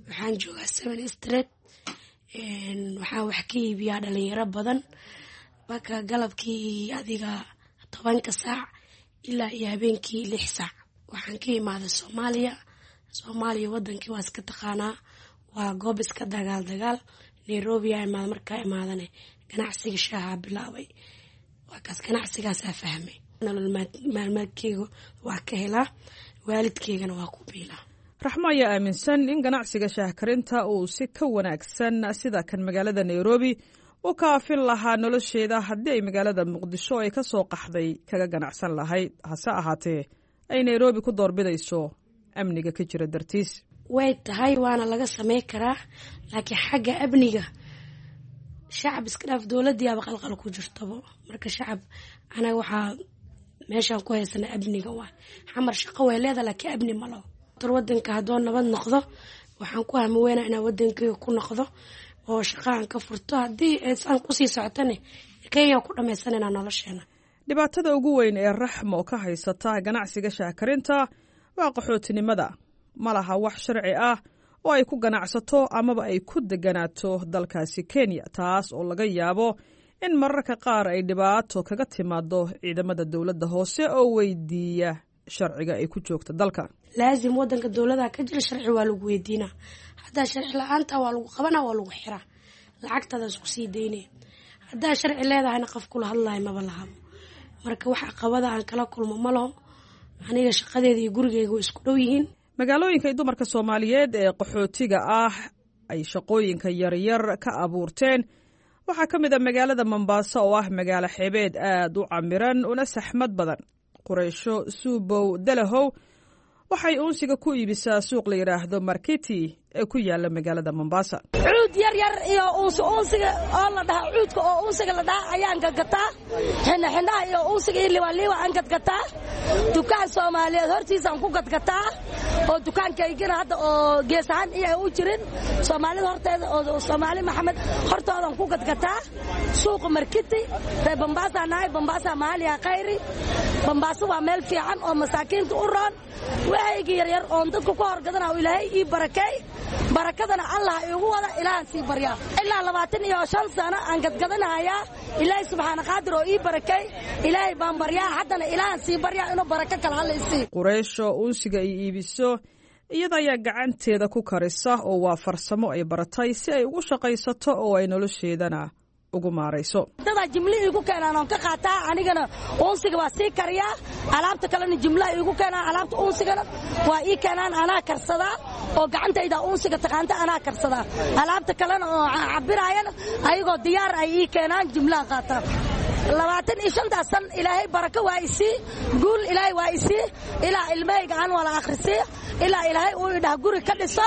Waxaan joogaa Seven Street. Waxaan wax ka iibiyaa dhalinyaro badan marka galabkii adiga tobanka saac ilaa iyo habeenkii lix saac. Waxaan ka imaaday Soomaaliya. Soomaaliya wadankii waa iska taqaanaa, waa goob iska dagaal dagaal. Nairobi aa imaada, markaa imaadane ganacsiga shaaha bilaabay. Waa kaas ganacsigaasaa fahmay. Nolol maalmeedkeyga waa ka helaa, waalidkeygana waa ku biilaa.
Raxmo ayaa aaminsan in ganacsiga shaah karinta uu si ka wanaagsan sida kan magaalada Nairobi u kaafin lahaa nolosheeda haddii ay magaalada Muqdisho ay ka soo qaxday kaga ganacsan lahayd, hase ahaatee ay Nairobi ku doorbidayso amniga ka jira dartiis.
Way tahay, waana laga samey karaa, laakiin xagga amniga shacab iska dhaaf, dowladiiaba qalqal ku jirtabo. Marka shacab anaga waxaa meeshaan ku haysana amniga waa Xamar shaqo way leedahay, laakiin amni ma laho. Wadanka haddoo nabad noqdo waxaan ku hamiweynaa inaan wadankeyga ku noqdo oo shaqaaan ka furto. Haddii aan kusii socotane Kenya ku dhamaysanayna nolosheena.
Dhibaatada ugu weyn ee Raxmo ka haysata ganacsiga shaahkarinta waa qaxootinimada. Ma laha wax sharci ah oo ay ku ganacsato amaba ay ku deganaato dalkaasi Kenya, taas oo laga yaabo in mararka qaar ay dhibaato kaga timaado ciidamada dowladda hoose oo weydiiya sharciga ay ku joogta dalka.
Laazim wadanka dowladaha ka jira sharci waa lagu weydiinaa. Haddaa sharci la-aanta waa lagu qabanaa, waa lagu xiraa, lacagtaada isku sii daynaya. Haddaa sharci leedahayna qof kula hadlayo maba lahabo. Marka wax caqabada aan kala kulmo ma laho, aniga shaqadeeda iyo gurigeyga way isku dhow yihiin.
Magaalooyinka ay dumarka Soomaaliyeed ee qaxootiga ah ay shaqooyinka yaryar ka abuurteen waxaa ka mid a magaalada Mombaaso oo ah magaalo xeebeed aad u camiran una saxmad badan. Qureysho Suubow Dalahow waxay uunsiga ku iibisaa suuq la yidhaahdo Marketi ee ku yaala magaalada Mombasa.
Cuud yar yar iyo uunsi uunsiga oo la dhaha cuudka oo uunsiga la dhaha ayaan gadgataa. Xindhaxindhaha iyo uunsiga iyo liwaaliwa aan gadgataa. Dukaan Soomaaliyeed hortiisaan ku gadgataa oo dukaankaygina hadda oo gees ahaan iyo u jirin Soomaalida horteeda oo Soomaali Maxamed hortoodan ku gadgataa. Suuqa Marketi ree Mombasa nahay, Mombasa maaliya khayri. Mombasa waa meel fiican oo masaakiinta u roon. Waxayga yaryar oon dadku ku horgadana Ilaahay ii barakeey, barakadana Allah iigu wada, ilaahan sii baryaa. Ilaa labaatan iyo shan sano aan gadgadanahayaa. Ilaahay subxaana qaadir oo ii barakay, Ilaahay baan baryaa, haddana ilaahan sii baryaa inuu barako kale Alla isii.
Qureysho uunsiga ay iibiso iyada ayaa gacanteeda ku karisa oo waa farsamo ay baratay si ay ugu shaqaysato oo ay nolosheedana ugu maarayso.
Dadaa jimli iigu keenaan oon ka qaataa, anigana uunsiga waa sii kariyaa, alaabta kalena jimlaha iigu keenaan, alaabta uunsigana waa ii keenaan, anaa karsadaa oo gacantayda uunsiga taqaanta anaa karsadaa. Alaabta kalena oo cabiraayana ayagoo diyaar ay ii keenaan, jimlaha qaataa. Labaatan iyo shantaas san Ilaahay barako waa isii, guul Ilaahay waa isii, ilaa ilmahayga aan wala akhrisii, ilaa Ilaahay uu idhaah guri ka dhiso.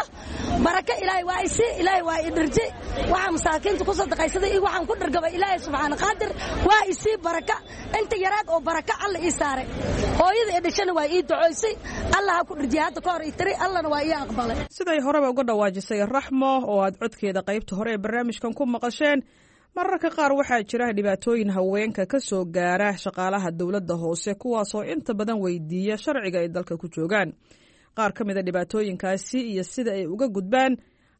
Barako Ilaahay waa isii, Ilaahay waa idhirji. Waxaa masaakiinta ku sadaqaysaday iyo waxaan ku dhargabay Ilaahay subxaana qaadir waa isii baraka. Inta yaraad oo barako Alla ii saaray, hooyada i dhashana waa ii ducoysay, Allah ha ku dhirjiya hadda ka hor ii tiri, Allana waa ii aqbalay.
Siday horeba uga dhawaajisay Raxmo oo aad codkeeda qaybta hore ee barnaamijkan ku maqasheen, mararka qaar waxaa jira dhibaatooyin haweenka ka soo gaara shaqaalaha dowladda hoose, kuwaasoo inta badan weydiiya sharciga ay dalka ku joogaan. Qaar ka mid a dhibaatooyinkaasi iyo sida ay uga gudbaan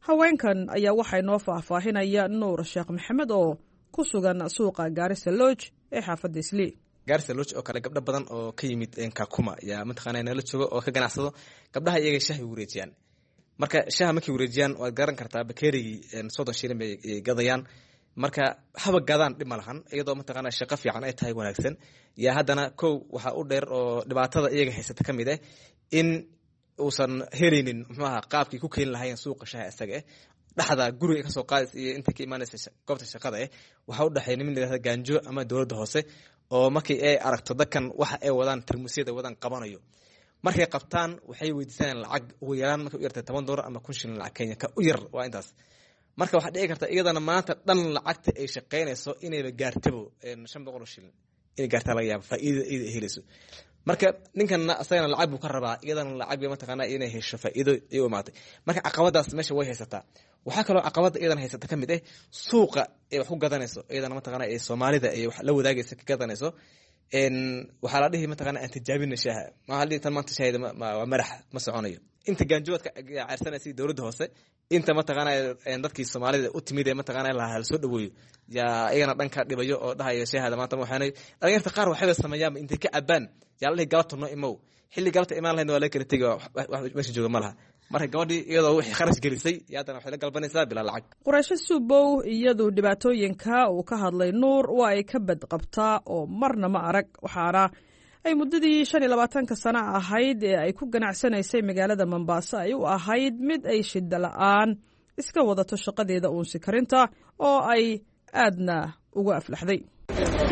haweenkan ayaa waxaa inoo faahfaahinaya Nuur Sheekh Maxamed oo ku sugan suuqa Gaarisa Lodge ee xaafadda Islii.
Gaarisa Lodge oo kale gabdho badan oo ka yimid Kakuma yaa mataqaanaa nala jooga oo ka ganacsado. Gabdhaha iyaga shahi wareejiyaan. Marka shaha markay wareejiyaan waad garan kartaa, bakeerigii soddon shilin bay gadayaan. Marka haba gadaan dhib ma lahan, iyadoo mataqaanaa shaqo fiican ay tahay wanaagsan yaa haddana kow waxaa u dheer oo dhibaatada iyaga haysata ka mid ah in uusan helaynin muxuu ahaa qaabkii ku keeni lahaayeen suuqa shaha isaga eh. Dhexda guriga kasoo qaadaysa iyo inta ka imaanaysa goobta shaqada eh waxaa u dhexeeya niman layihahda gaanjo ama dowladda hoose oo markii ay aragto dadkan waxa ay wadaan tarmuusyada wadaan qabanayo. Markay qabtaan waxay weydiisanayaan lacag ugu yaraan markay u yartay toban doolar ama kun shilin lacag Kenya ka u yar waa intaas. Marka waxaa dhici karta iyadana maanta dhan lacagta ay shaqaynayso inayba gaartabo shan boqol oo shilin inay gaartaa laga yaabo faa'iidada iyada ay helayso. Marka ninkanna asagana lacag buu ka rabaa, iyadana lacag bay mataqaanaa inay hesho faa'iido ay u imaatay. Marka caqabadaas meesha way haysataa. Waxaa kaloo caqabada iyadana haysata ka mid ah suuqa ay wax ku gadanayso, iyadana mataqaanaa ee Soomaalida ay wax la wadaagaysa ka gadanayso. Waxaa la dhihi mataqaanaa aan tijaabina shaaha, ma dhihi tan maanta shaahida waa madax ma soconayo. Inta gaanjoodka ceyrsanaysa dowladda hoose, inta mataqaanaa dadkii Soomaalida u timid ee mataqaanaa lahaa la soo dhaweeyo yaa iyagana dhanka dhibayo oo dhahaya shaahada maanta ma waxaanay. Dhalinyarta qaar waxayba sameeyaan intay ka cabaan yaa la dhihi galabta noo imow, xilli galabta imaan lahaydna waa laga kala tegi, wax meesha jooga ma laha. Marka gabadhii iyadoo wixii kharash gelisay yaa haddana waxay la galbanaysaa bilaa lacag.
Quraysho Suubow iyadu dhibaatooyinka uu ka hadlay Nuur waa ay ka badqabtaa oo marna ma arag, waxaana ay muddadii shan iyo labaatanka sano ahayd ee ay ku ganacsanaysay magaalada Mombasa ay u ahayd mid ay shidda la'aan iska wadato shaqadeeda uunsi karinta oo ay Aadna uga aflaxday.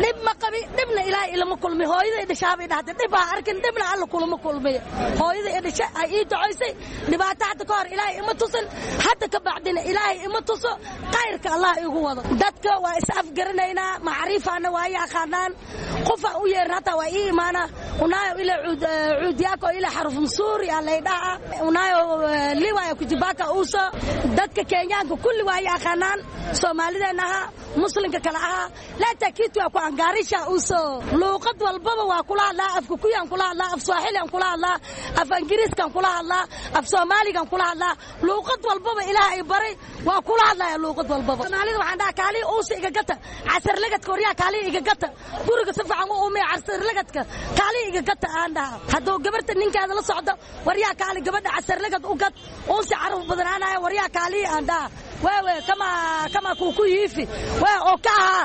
Dhib ma qabi, dhibna Ilaahay ilama kulmi. Hooyada dhashaabay dhahday, dhib ha arkin, dhibna Alla kulama kulmiy. Hooyada dhasha ay ii ducaysay. Dhibaato hadda ka hor Ilaahay ima tusin, hadda ka bacdina Ilaahay ima tuso. Khayrka Allah igu wado. Dadka waa is afgaranaynaa, macriifaana waa yaqaanaan. Qofa u yeerin hataa waa ii imaana. Unaayo ila cuudiyaako ila xaruf msuuri aa laydhaha, unaayo liwaya kujibaka uuso. Dadka Kenyaanka kulli waa yaqaanaan, Soomaalideenna ahaa, Muslimka kale ahaa. Leta kitu ya kuangarisha uso. Luuqad walbaba waa kula hadlaa. Afka Kuyaan kula hadlaa, af Swaaxilian kula hadlaa, af Ingiriiskan kula hadlaa, af Soomaaligan kula hadlaa. Luuqad walbaba Ilaahay baray waa kula hadlaya luuqad walbaba. Soomaalida waxaan dhahaa, kaaliya uusa iga gata, casarlagadka. Waryaa, kaaliya iga gata, guriga si fiican u umiya, casarlagadka kaaliya iga gata aan dhahaa. Hadduu gabarta ninkeeda la socdo, waryaa kaali, gabadha casarlagad u gad, uunsi caraf badanaanaya. Waryaa kaaliya aan dhahaa, wewe kama kama kuku hivi we okaha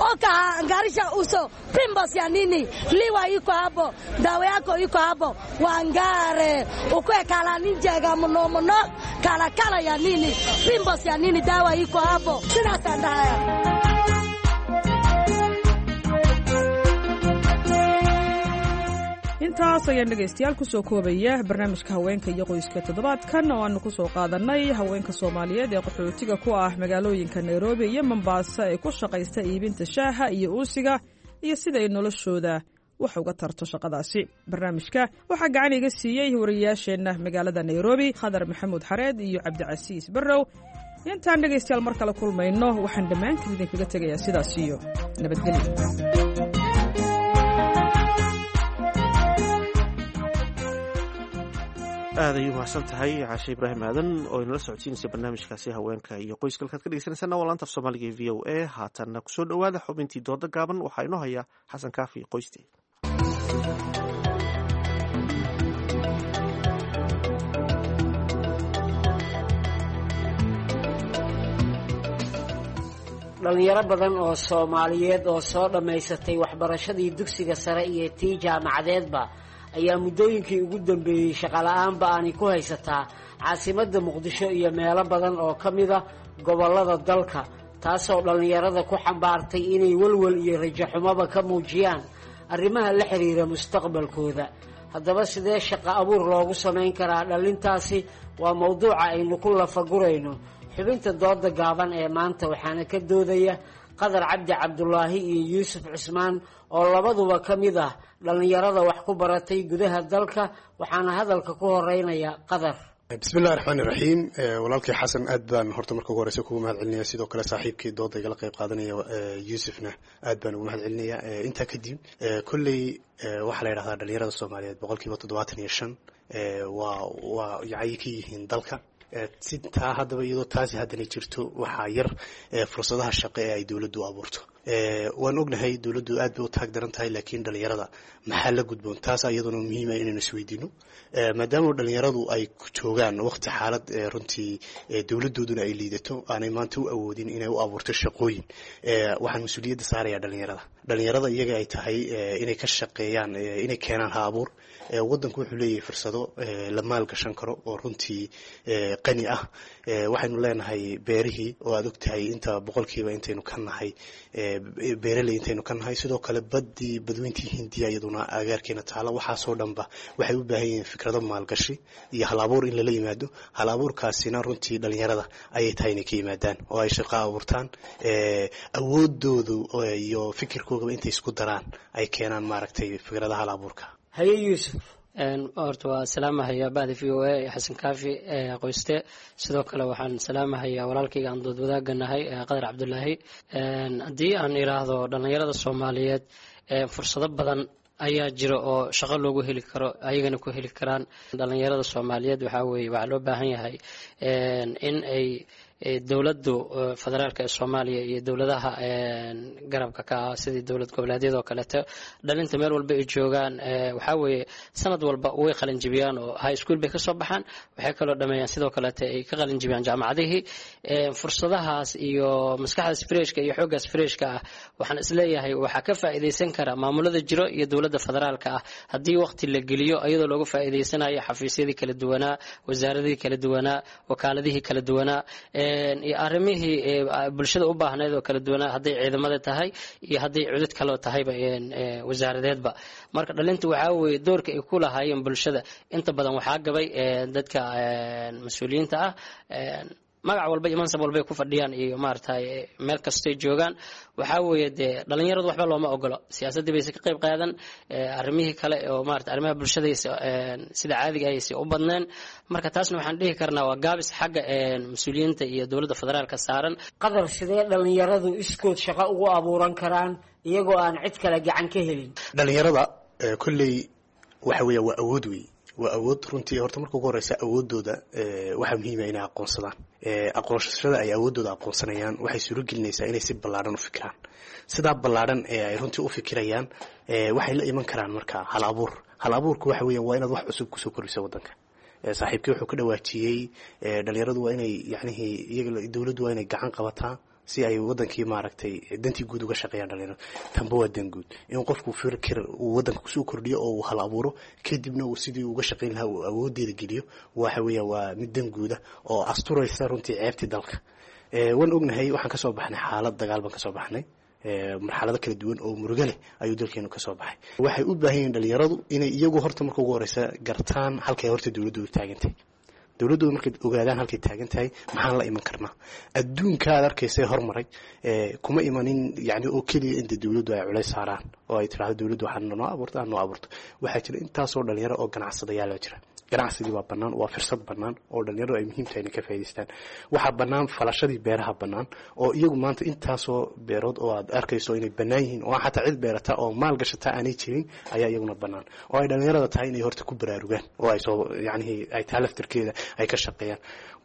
okaha angarisha uso pimples ya nini, liwa iko hapo, dawa yako iko hapo, wangare ukwe kala ninjega muno muno kala kala ya nini, pimples ya nini, dawa iko hapo. Sidaasaan dhahaya.
Intaas ayaan dhegaystayaal kusoo koobaya barnaamijka haweenka iyo qoyska toddobaadkan, oo aanu kusoo qaadanay haweenka Soomaaliyeed ee qaxootiga ku ah magaalooyinka Nairobi iyo Mombasa ee ku shaqaysta iibinta shaaha iyo uusiga iyo sida ay noloshooda wax uga tarto shaqadaasi. Barnaamijka waxaa gacan iga siiyey wariyayaasheenna magaalada Nairobi, Khadar Maxamuud Xareed iyo Cabdicasiis Barrow. Intaan dhegaystayaal mar kale kulmayno, waxaan dhammaantiin idinkaga tegayaa sidaas iyo nabadgelyo.
Aad ayay umahadsan tahay Caashe Ibraahim Aadan oo inala socodsiinaysa barnaamijkaasi haweenka iyo qoyska. Halkaad ka dhegeysanaysaana waa laanta af Soomaaliga ee V O A. Haatanna kusoo dhowaada xubintii dooda gaaban. Waxaa inoo haya Xasan Kaafi Qoyste.
Dhalinyaro badan oo Soomaaliyeed oo soo dhammaysatay waxbarashadii dugsiga sare iyo tii jaamacadeedba ayaa muddooyinkii ugu dambeeyey shaqola'aanba aanay ku haysataa caasimadda Muqdisho iyo meelo badan oo ka mid a gobollada dalka, taasoo dhallinyarada ku xambaartay inay welwel iyo rajo xumoba ka muujiyaan arrimaha la xiriira mustaqbalkooda. Haddaba, sidee shaqo abuur loogu samayn karaa dhallintaasi? Waa mowduuca aynu ku lafagurayno xubinta dooda gaaban ee maanta, waxaana ka doodaya Qadar Cabdi Cabdulaahi iyo Yuusuf Cusmaan oo labaduba ka mid ah dhallinyarada wax ku baratay gudaha dalka. Waxaana hadalka ku horeynaya Qadar.
Bismillahi raxmaani raxiim. Walaalkii Xasan, aad baan horta marka ugu horeysa kugu mahad celinaya. Sidoo kale saaxiibkii dooda igala qayb qaadanaya Yuusufna aad baan ugu mahad celinaya. Intaa kadib, kolley waxaa la yidhahdaa dhalinyarada Soomaaliyeed boqolkiiba toddobaatan iyo shan waa waa yacay ka yihiin dalka. Si taa haddaba, iyadoo taasi haddana jirto, waxaa yar fursadaha shaqo ee ay dowladdu abuurto. Waan ognahay dowladdu aad bay u taag daran tahay, laakiin dhalinyarada maxaa la gudboon? Taas iyaduna muhiima inaynu isweydiino, maadaama dhalinyaradu ay joogaan waqti xaalad runtii dowladooduna ay liidato, aanay maanta u awoodin inay u abuurto shaqooyin. Waxaan mas-uuliyadda saaraya dhalinyarada. Dhalinyarada iyaga ay tahay inay ka shaqeeyaan, inay keenaan ha abuur. Waddanku wuxuu leeyahay fursado la maalgashan karo oo runtii qani ah. Waxaynu leenahay beerihii oo aad ogtahay inta boqolkiiba intaynu ka nahay beeraley intaynu ka nahay. Sidoo kale baddii, badweyntii Hindiya, iyaduna agaarkeena taala. Waxaasoo dhanba waxay u baahan yihiin fikrado maalgashi iyo hal abuur in lala yimaado. Hal abuurkaasina runtii dhalinyarada ayay tahay inay ka yimaadaan oo ay shaqo abuurtaan, awoodoodu iyo fikirkoogaba intay isku daraan ay keenaan maaragtay fikradaha hal abuurka.
Haye Yuusuf.
Horta waa salaamahayaa bacda V O A, Xasan Kaafi Qoyste. Sidoo kale waxaan salaamahayaa walaalkayga aan dood wadaagga nahay, Qadar Cabdulaahi. Haddii aan iraahdo dhallinyarada Soomaaliyeed, fursado badan ayaa jira oo shaqo loogu heli karo, ayagana ku heli karaan dhallinyarada Soomaaliyeed. Waxaa weeye waxaa loo baahan yahay in ay dowladdu federaalka ee Soomaaliya iyo dowladaha garabka ka ah, sidii dowlad goboleedyada oo kaleeto, dhalinta meel walba ay joogaan, waxaa weeye sanad walba way qalinjibiyaan oo high school bay kasoo baxaan. Waxay kaloo dhameeyaan, sidoo kaleeto ay ka qalinjibiyaan jaamacadihii. Fursadahaas iyo maskaxdaas freshka iyo xooggaas freshka ah, waxaan isleeyahay waxaa ka faa'iidaysan kara maamulada jiro iyo dowladda federaalka ah, haddii waqti la geliyo, iyadoo looga faa'iidaysanayo xafiisyadii kala duwanaa, wasaaradihii kala duwanaa, wakaaladihii kala duwanaa. iyo arrimihii bulshada u baahnayd oo kala duwanaa, hadday ciidamada tahay iyo hadday cudud kaloo tahayba wasaaradeedba. Marka dhalinta waxaa weeye doorka ay ku lahaayeen bulshada inta badan waxaa gabay dadka mas-uuliyiinta ah, magac walba iyo mansab walbay ku fadhiyaan iyo maaragtay meel kastoy joogaan. Waxaa weeye dee dhalinyaradu waxba looma ogolo, siyaasaddii bayse ka qayb qaadan, arrimihii kale oo maarata arrimaha bulshadaysa sida caadiga ayayse u badneen. Marka taasna waxaan dhihi karnaa waa gaabis xagga mas-uuliyiinta iyo dowladda federaalka saaran.
Qadar, sidee dhalinyaradu iskood shaqo ugu abuuran karaan iyagoo aan cid kale gacan ka helin?
Dhalinyarada kolley waxa weeya waa awood wey, waa awood runtii. Horta marka ugu horeysa awoodooda waxaa muhiima inay aqoonsadaan. Aqoonsashada ay awoodooda aqoonsanayaan waxay suuro gelinaysaa inay si ballaadhan u fikiraan. Sidaa ballaadhan ee ay runtii u fikirayaan waxay la iman karaan marka hal abuur. Hal abuurku waxa weeyaan waa inaad wax cusub kusoo kordhiso waddanka. Saaxiibkii wuxuu ka dhawaajiyey dhalinyaradu waa inay yacnihii iyaga dowladdu waa inay gacan qabataa si ay wadankii maaragtay dantii guud uga shaqeeyaan. Dhalinyaradu tanba waa dan guud in qofku fikir uu wadanka kusoo kordhiyo oo uu hal abuuro, kadibna uu sidii uga shaqeyn lahaa uu awoodeeda geliyo. Waxa weeya waa mid dan guuda oo asturaysa runtii ceebtii dalka. Waan ognahay waxaan kasoo baxnay xaalad dagaal baan kasoo baxnay, marxalado kala duwan oo murugo leh ayuu dalkeenu kasoo baxay. Waxay u baahan yihiin dhalinyaradu inay iyagu horta marka ugu horeysa gartaan halkay horta dowladdu taagantay. Dowladdooda markay ogaadaan halkay taagan tahay, maxaan la iman karnaa? Adduunka aad arkaysay hormaray kuma imanin yani oo keliya inta dowladdu ay culays saaraan oo ay tidhahdo dowladdu waxaa noo abuurta noo abuurto. Waxaa jira intaasoo dhalinyaro oo ganacsadayaala jira. Ganacsigii waa bannaan, waa fursad bannaan oo dhalinyaradu ay muhiim tahay inay ka faa'idaystaan. Waxaa bannaan falashadii beeraha bannaan oo iyagu maanta intaasoo beerood oo aad arkayso inay bannaan yihiin oo xataa cid beerata oo maal gashata aanay jirin ayaa iyaguna bannaan, oo ay dhalinyarada tahay inay horta ku baraarugaan oo ay soo yacnihii ay taa laftirkeeda ay ka shaqeeyaan.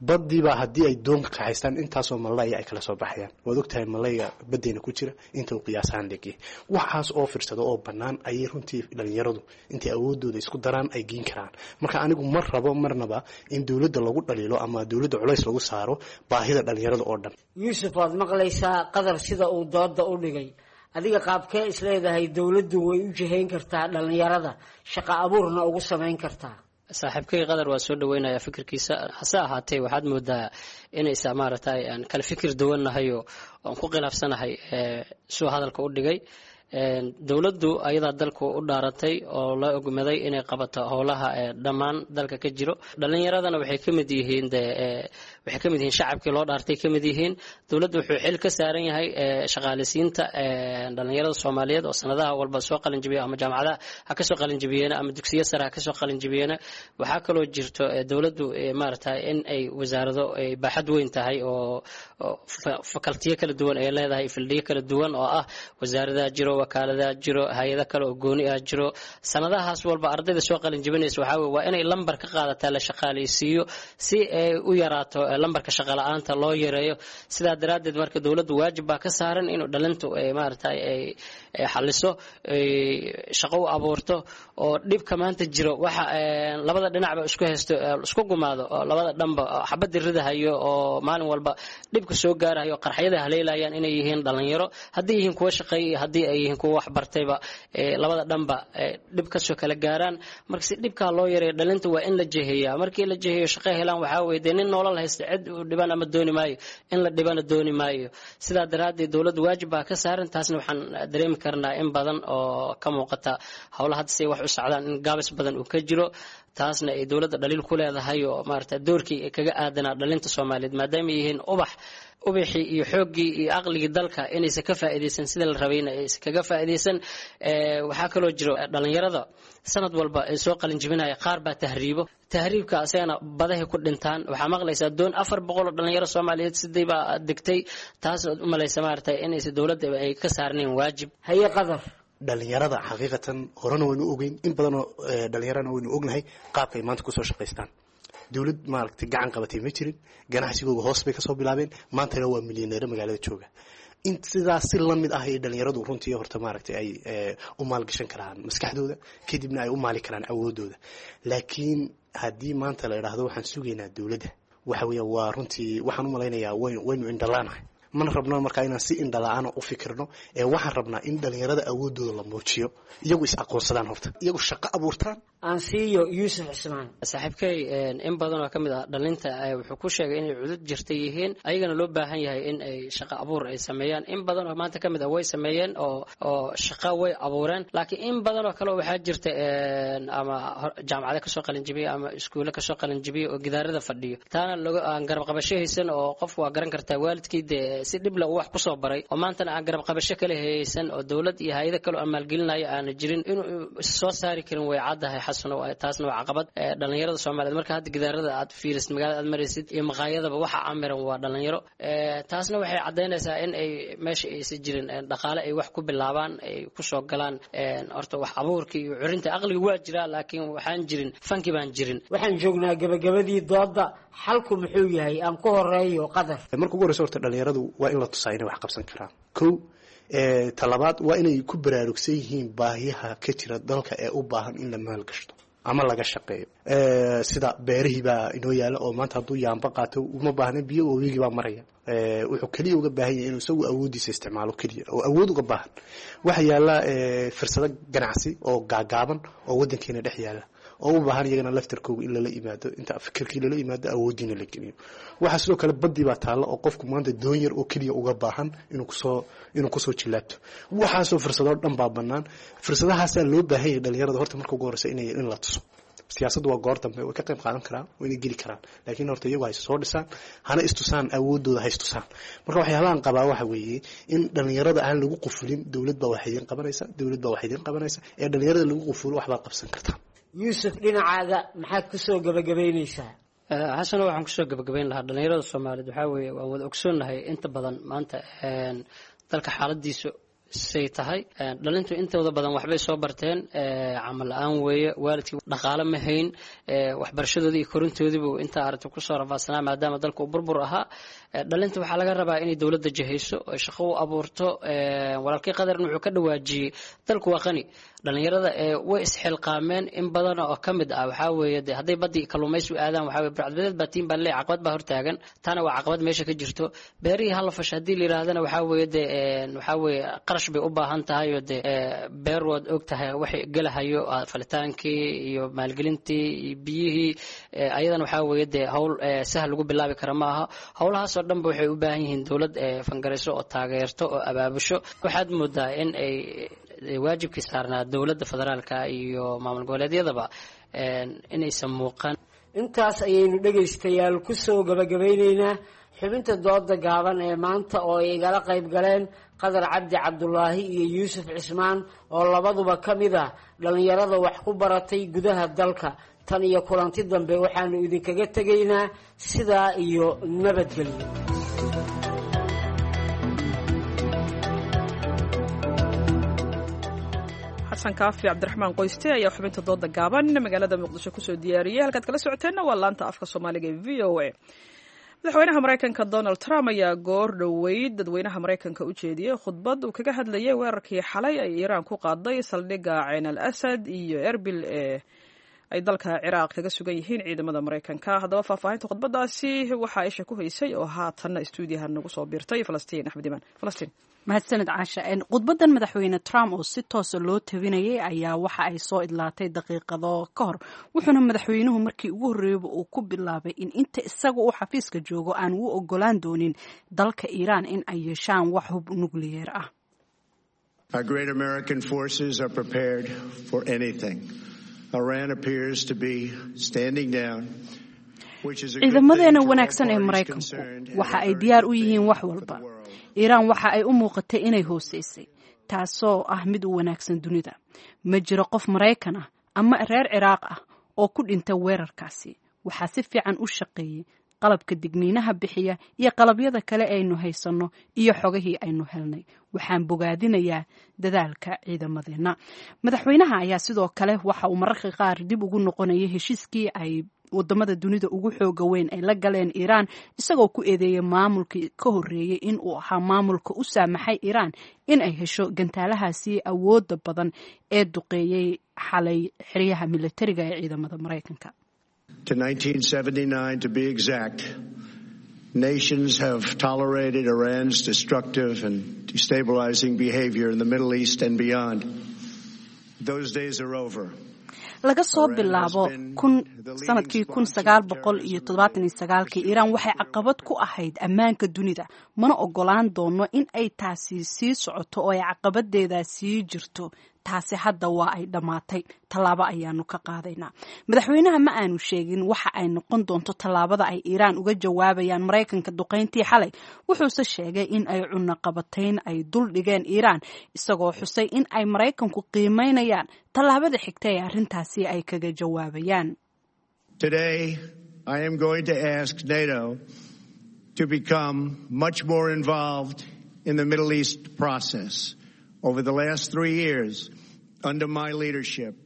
Baddiibaa haddii ay doonka kaxaystaan intaasoo malaya ay kala soo baxayaan. Waad ogtahay malayga baddeyna ku jira inta uu qiyaasahaan leegyahay. Waxaas oo firsado oo bannaan ayay runtii dhalinyaradu intay awoodooda isku daraan ay geen karaan. Marka anigu ma rabo marnaba in dowladda lagu dhaliilo ama dowladda culays lagu saaro baahida dhalinyarada oo dhan.
Yuusuf, waad maqlaysaa Qadar sida uu dooda u dhigay. Adiga qaabkee isleedahay dowladdu way u jihayn kartaa dhalinyarada, shaqa abuurna ugu samayn kartaa?
Saaxiibkay Qadar waa soo dhaweynayaa fikirkiisa, hase ahaatee waxaad moodaa inaysa maaragtay aan kala fikir duwannahay oo aan ku khilaafsanahay suu hadalka u dhigay. Dowladdu ayadaa dalku u dhaaratay oo la ogmaday inay qabato howlaha dhammaan dalka ka jiro. Dhalinyaradana waxay ka mid yihiin de waxay ka mid yihiin shacabkii loo dhaartay ka mid yihiin. Dowladdu wuxuu xil ka saaran yahay shaqaaleysiinta dhalinyarada Soomaaliyeed oo sanadaha walba soo qalinjabiya, ama jaamacadaha ha kasoo qalinjabiyeena ama dugsiyo sare ha kasoo qalinjabiyeena. Waxaa kaloo jirto dowladdu maaragtay in ay wasaarado ay baaxad weyn tahay oo fakaltiyo kala duwan ay leedahay, fildhiyo kala duwan oo ah wasaaradaha jiro, wakaaladaha jiro, hay-ado kale oo gooni ah jiro. Sanadahaas walba ardayda soo qalin jabinaysa waxaa weye waa inay lambar ka qaadataa la shaqaaleysiiyo si ay u yaraato lambarka shaqala-aanta loo yareeyo. Sidaa daraaddeed marka dowladdu waajib baa ka saaran inuu dhalintu ay maaragtay ay xaliso, shaqo u abuurto oo dhibka maanta jiro waxa labada dhinacba isku haysto isku gumaado oo labada dhanba xabadda ridahayo oo maalin walba dhibka soo gaarahayo qarxyada haleelayaan inay yihiin dhalinyaro, haddii yihiin kuwa shaqeeya iyo haddii ay yihiin kuwa wax bartayba, labada dhanba dhib kasoo kala gaaraan. Marka si dhibkaa loo yareeyo dhalinta waa in la jeheeyaa. Markii la jeheeyo shaqo helaan, waxaa weye dee nin nolol haysta cid uu dhiban ama dooni maayo, in la dhibana dooni maayo. Sidaa daraaddeed dowladdu waajib baa ka saaran. Taasna waxaan dareemi karnaa in badan oo ka muuqata howlaha hadda say wax u socdaan in gaabis badan uu ka jiro, taasna ay dowladda dhaliil ku leedahay oo maarata doorkii ay kaga aadanaa dhalinta Soomaaliyeed maadaama yihiin ubax ubixii iyo xooggii iyo aqligii dalka inaysan ka faa'iidaysan sida la rabayna aysan kaga faa'iidaysan. Waxaa kaloo jiro dhalinyarada sanad walba ay soo qalin jebinaya qaar baa tahriibo, tahriibka asagana badahay ku dhintaan. Waxaa maqlaysaa doon afar boqol oo dhalinyaro Soomaaliyeed sidii baa degtay, taas ood u malaysa maaragtay inaysan dowladda ay ka saarnayn waajib.
Haye Qadar.
Dhalinyarada xaqiiqatan horena waynu ogeyn, in badanoo dhalinyarana waynu ognahay qaabka ay maanta kusoo shaqaystaan. Dowlad maaragtay gacan qabatay ma jirin, ganacsigooga hoos bay kasoo bilaabeen, maantana waa milyaneero magaalada jooga. In sidaas si lamid ah ay dhalinyaradu runtii horta maaragtay ay u maalgashan karaan maskaxdooda, kadibna ay u maali karaan awoodooda. Laakiin haddii maanta la idhaahdo waxaan sugaynaa dowladda, waxa weeya waa runtii waxaan u malaynayaa waynu waynu indhalaanahay. Mana rabno markaa inaan si indhala-aana u fikirno, ee waxaan rabnaa in dhalinyarada awoodooda la muujiyo, iyagu is aqoonsadaan, horta iyagu shaqo abuurtaan.
Aan siiyo Yuusuf Cismaan.
Saaxiibkay in badan oo ka mid ah dhalinta wuxuu ku sheegay inay cudud jirta yihiin, ayagana loo baahan yahay in ay shaqo abuur ay sameeyaan. In badan oo maanta ka mid ah way sameeyeen oo oo shaqo way abuureen, laakiin in badan oo kale waxaa jirta ama jaamacado kasoo qalinjibiya ama iskuulle kasoo qalinjibiya oo gidaarada fadhiyo, taana log aan garab qabasho haysan, oo qof waa garan kartaa waalidkii dee si dhibla uu wax kusoo baray oo maantana aan garab qabasho kale haysan oo dowlad iyo hay-ado kale oo maalgelinayo aana jirin inuu soo saari karin. Way caddahay, Xasano, taasna waa caqabad dhalinyarada Soomaaliyeed. Marka hadda gidaarada aad fiirisid, magaalada aad maraysid iyo maqaayadaba waxa camiran waa dhalinyaro. Taasna waxay caddaynaysaa in ay meesha aysan jirin dhaqaale ay wax ku bilaabaan, ay kusoo galaan. Horta wax abuurka iyo curinta aqliga waa jiraa, laakiin waxaan jirin fanki baan jirin.
Waxaan joognaa gabagabadii dooda. Xalku muxuu yahay? Aan ku horeeyo Qadar.
Marka ugu horeysa, horta dhalinyaradu waa in la tusaa inay wax qabsan karaan, kow. Talabaad, waa inay ku baraarugsan yihiin baahiyaha ka jira dalka ee u baahan in la maalgashto ama laga shaqeeyo, sida beerihii baa inoo yaala oo maanta hadduu yaamba qaato uma baahna biyo, wabigii baa maraya. Wuxuu keliya uga baahan yahay inuu isagu awooddiisa isticmaalo keliya oo awood uga baahan. Waxa yaala fursado ganacsi oo gaagaaban oo waddankeena dhex yaala oo u baahan iyagana laftarkooga in lala yimaado, inta fikirkii lala yimaado, awooddiina la geliyo. Waxaa sidoo kale badii baa taalla oo qofku maanta doon yar oo keliya uga baahan inuu kusoo inuu kusoo jilaabto. Waxaasoo fursadoo dhan baa bannaan. Fursadahaasaa loo baahan yahay dhalinyarada horta marka ugu horeysa inay in la tuso. Siyaasaddu waa goor dambe, way ka qayb qaadan karaan, wayna geli karaan, laakiin horta iyagu ha is soo dhisaan, hana istusaan awoodooda, ha istusaan. Marka waxyaabahan qabaa waxa weeye in dhalinyarada aan lagu qufulin dowlad baa wax idiin qabanaysa, dowlad baa wax idiin qabanaysa, ee dhalinyarada lagu qufulo waxbaad qabsan kartaa.
Yuusuf, dhinacaaga maxaad kusoo gabagabaynaysaa?
Xasano, waxaan kusoo gabagabayn lahaa dhalinyarada Soomaaliyeed waxaa weeye waan wada ogsoonnahay inta badan maanta dalka xaaladiisu say tahay. Dhalintu intooda badan waxbay soo barteen, camal la-aan weeye, waalidkii dhaqaale ma hayn, waxbarashadoodii iyo korintoodiibu intaa aragti kusoo rafaadsanaa maadaama dalka uu burbur ahaa. Dhalinta waxaa laga rabaa inay dowladda jahayso oo shaqo u abuurto. Walaalkii Qadarna wuxuu ka dhawaajiyey dalku waa qani, dhalinyarada way isxilqaameen in badan oo ka mid ah. Waxaa weeye de hadday badii kalluumaysi u aadaan, waxaa weye burcadbadeed baa tiin baa leey, caqabad baa hortaagan, taana waa caqabad meesha ka jirto. Beerihii hala fasha haddii la yidhaahdana, waxaa weeye de waxaa weeye qarash bay u baahan tahay oo de beer waad og tahay waxay gelahayo, falitaankii iyo maalgelintii iyo biyihii, ayadana waxaa weeye dee hawl sahal lagu bilaabi kara ma aha. Howlahaasoo dhanba waxay u baahan yihiin dowlad fangarayso oo taageerto oo abaabusho. Waxaad moodaa in ay waajibkii saarnaa dowladda federaalka iyo maamul goboleedyadaba inaysan muuqan.
Intaas ayaynu dhegaystayaal kusoo gabagabayneynaa xubinta dooda gaaban ee maanta oo ay igala qayb galeen Qadar Cabdi Cabdulaahi iyo Yuusuf Cismaan oo labaduba ka mid ah dhallinyarada wax ku baratay gudaha dalka. Tan iyo kulanti dambe, waxaanu idinkaga tegaynaa sidaa iyo nabadgelyo.
Xasan Kaafi Cabdiraxmaan Qoyste ayaa xubinta dooda gaaban magaalada Muqdisho kusoo diyaariyey. Halkaad kala socoteenna waa laanta afka Soomaaliga ee V O A. Madaxweynaha Maraykanka Donald Trump ayaa goor dhoweyd dadweynaha Maraykanka u jeediyey khudbad uu kaga hadlayay weerarkii xalay ay Iiraan ku qaaday saldhigga Ceyn al Asad iyo Erbil ee ay dalka Ciraaq kaga sugan yihiin ciidamada Maraykanka. Haddaba faahfaahinta khudbadaasi waxaa isha ku haysay oo haatanna istuudiyaha nagu soo biirtay Falastiin Axmed Imaan. Falastiin.
Mahadsaned, Caasha. Khudbadan madaxweyne Trump oo si toosa loo tabinayay ayaa waxa ay soo idlaatay daqiiqado ka hor, wuxuuna madaxweynuhu markii ugu horreeyaba uu ku bilaabay in inta isaga uu xafiiska joogo aan u ogolaan doonin dalka Iiraan in ay yeeshaan wax hub nukliyeer ah.
Our great American forces are prepared for anything. Iran appears to be standing down.
Ciidamadeena wanaagsan ee Maraykanku waxa ay diyaar u yihiin wax walba. Iiraan waxa ay u muuqatay inay hooseysay, taasoo ah mid u wanaagsan dunida. Ma jiro qof Maraykan ah ama reer Ciraaq ah oo ku dhinta weerarkaasi. Waxaa si fiican u shaqeeyey qalabka digniinaha bixiya iyo qalabyada kale aynu haysanno iyo xogahii aynu helnay. Waxaan bogaadinayaa dadaalka ciidamadeenna. Madaxweynaha ayaa sidoo kale waxa uu mararka qaar dib ugu noqonayay heshiiskii ay wadamada dunida ugu xooga weyn ay la galeen Iiraan, isagoo ku eedeeyay maamulkii ka horreeyey in uu ahaa maamulka u saamaxay Iiraan in ay hesho gantaalahaasi awoodda badan ee duqeeyey xalay xeryaha militariga ee ciidamada Maraykanka.
To nineteen seventy-nine to be exact, Nations have tolerated Iran's destructive and destabilizing behavior in the Middle East and beyond. Those days are over.
Laga soo bilaabo kun sanadkii kun sagaal boqol iyo toddobaatan iyo sagaalkii, Iiraan waxay caqabad ku ahayd ammaanka dunida. Mana ogolaan doono in ay taasi sii socoto oo ay caqabadeeda sii jirto. Taasi hadda waa ay dhammaatay, tallaabo ayaanu ka qaadaynaa. Madaxweynaha ma aanu sheegin waxa ay noqon doonto tallaabada ay Iiraan uga jawaabayaan Maraykanka duqayntii xalay, wuxuuse sheegay in ay cunaqabatayn ay dul dhigeen Iiraan, isagoo xusay in ay Maraykanku qiimeynayaan tallaabada xigta ee arrintaasi ay kaga jawaabayaan.
Today, I am going to ask NATO to become much more involved in the Middle East process. Over the last three years, under my leadership,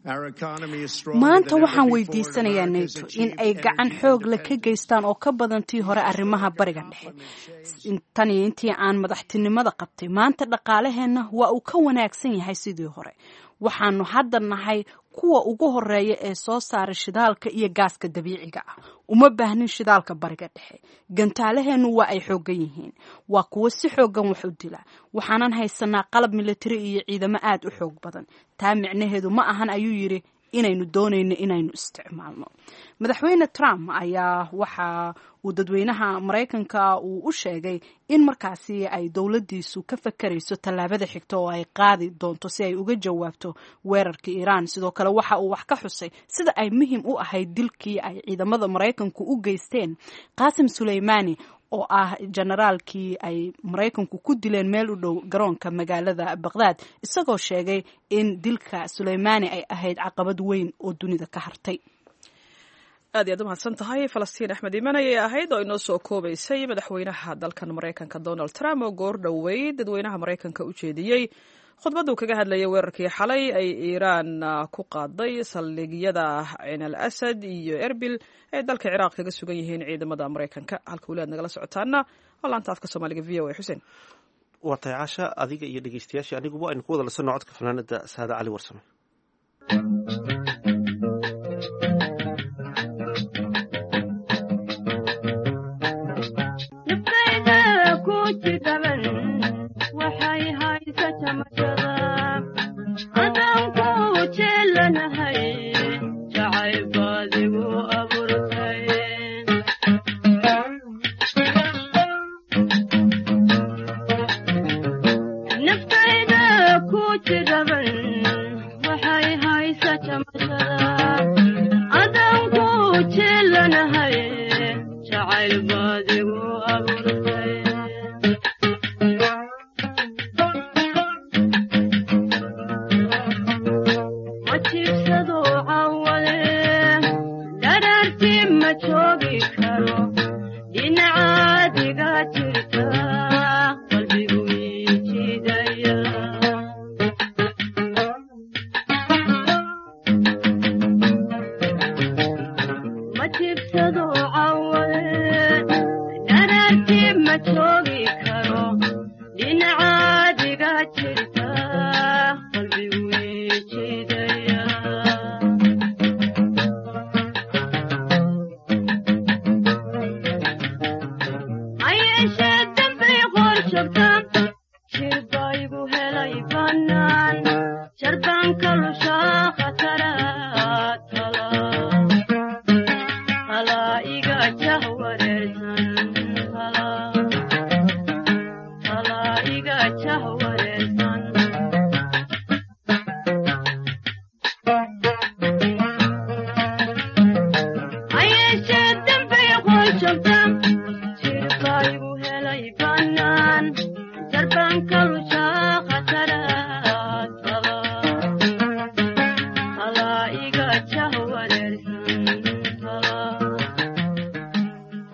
our economy is stronger
Maanta
than ever
waxaan
before.
weydiisanayaa NATO in ay gacan xoog leh ka geystaan oo ka badan tii hore arrimaha Bariga Dhexe. Tan iyo intii aan madaxtinimada qabtay, maanta dhaqaalaheenna waa uu ka wanaagsan yahay sidii hore. Waxaanu hadda nahay kuwa ugu horeeya ee soo saara shidaalka iyo gaaska dabiiciga ah. Uma baahnin shidaalka Bariga Dhexe. Gantaalaheennu waa ay xooggan yihiin, waa kuwo si xooggan wax u dila. Waxaanan haysanaa qalab militari iyo ciidamo aad u xoog badan. Taa micnaheedu ma ahan, ayuu yidhi, inaynu doonayno inaynu isticmaalno. Madaxweyne Trump ayaa waxa uu dadweynaha Maraykanka uu u sheegay in markaasi ay dowladdiisu ka fakarayso tallaabada xigta oo ay qaadi doonto si ay uga jawaabto weerarka Iiraan. Sidoo kale waxa uu wax ka xusay sida ay muhiim u ahayd dilkii ay ciidamada Maraykanku u geysteen Qaasim Suleymaani, oo ah generaalkii ay Maraykanku ku dileen meel u dhow garoonka magaalada Baqdaad, isagoo sheegay in dilka Suleymaani ay ahayd caqabad weyn oo dunida ka hartay.
Aad iyaad u mahadsan tahay Falastiin Axmed Iiman ayay ahayd oo inoo soo koobaysay madaxweynaha dalkan Maraykanka Donald Trump oo goor dhoweyd dadweynaha Maraykanka u jeediyey khudbaduu kaga hadlayay weerarkii xalay ay Iiraan ku qaaday saldhigyada Ciin al Asad iyo Erbil ay dalka Ciraaq kaga sugan yihiin ciidamada Maraykanka. Halka weli aad nagala socotaana waa laanta afka Soomaaliga V O A. Xuseen.
Waa tahay, Caasha, adiga iyo dhegeystayaashii aniguba aynu ku wada lasanno codka fanaanada Saada Cali Warsame.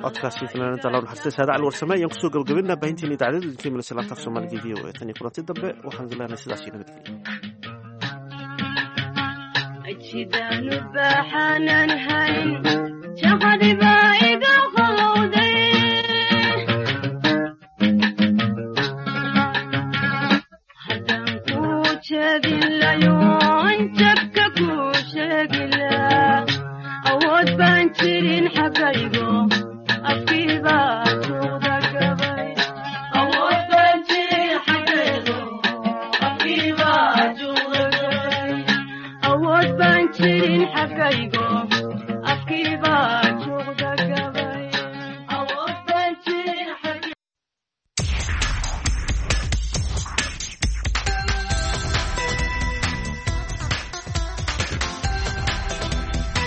Codkaasi fanaanada Allah naxariista Saada Cali Warsame ayaan kusoo gabagabaynaa baahinteena idaacadda idinka imanaysa laanta af Soomaaliga V O A. Tan iyo kulanti dambe, waxaan idin leenahay sidaas iyo nabadgelyo.
Jidaanu baaxaanan hayn shaqadii baa iga qalowday, haddaan kuu jeedin layoon jabka kuu sheegilaa, awood baan jirin xaggaygo. Afkiibaa juuqda gabay. Awood baan jirin xaggeedu, afkiibaa juuqda gabay. Awood baan jirin xaggaygo, afkiibaa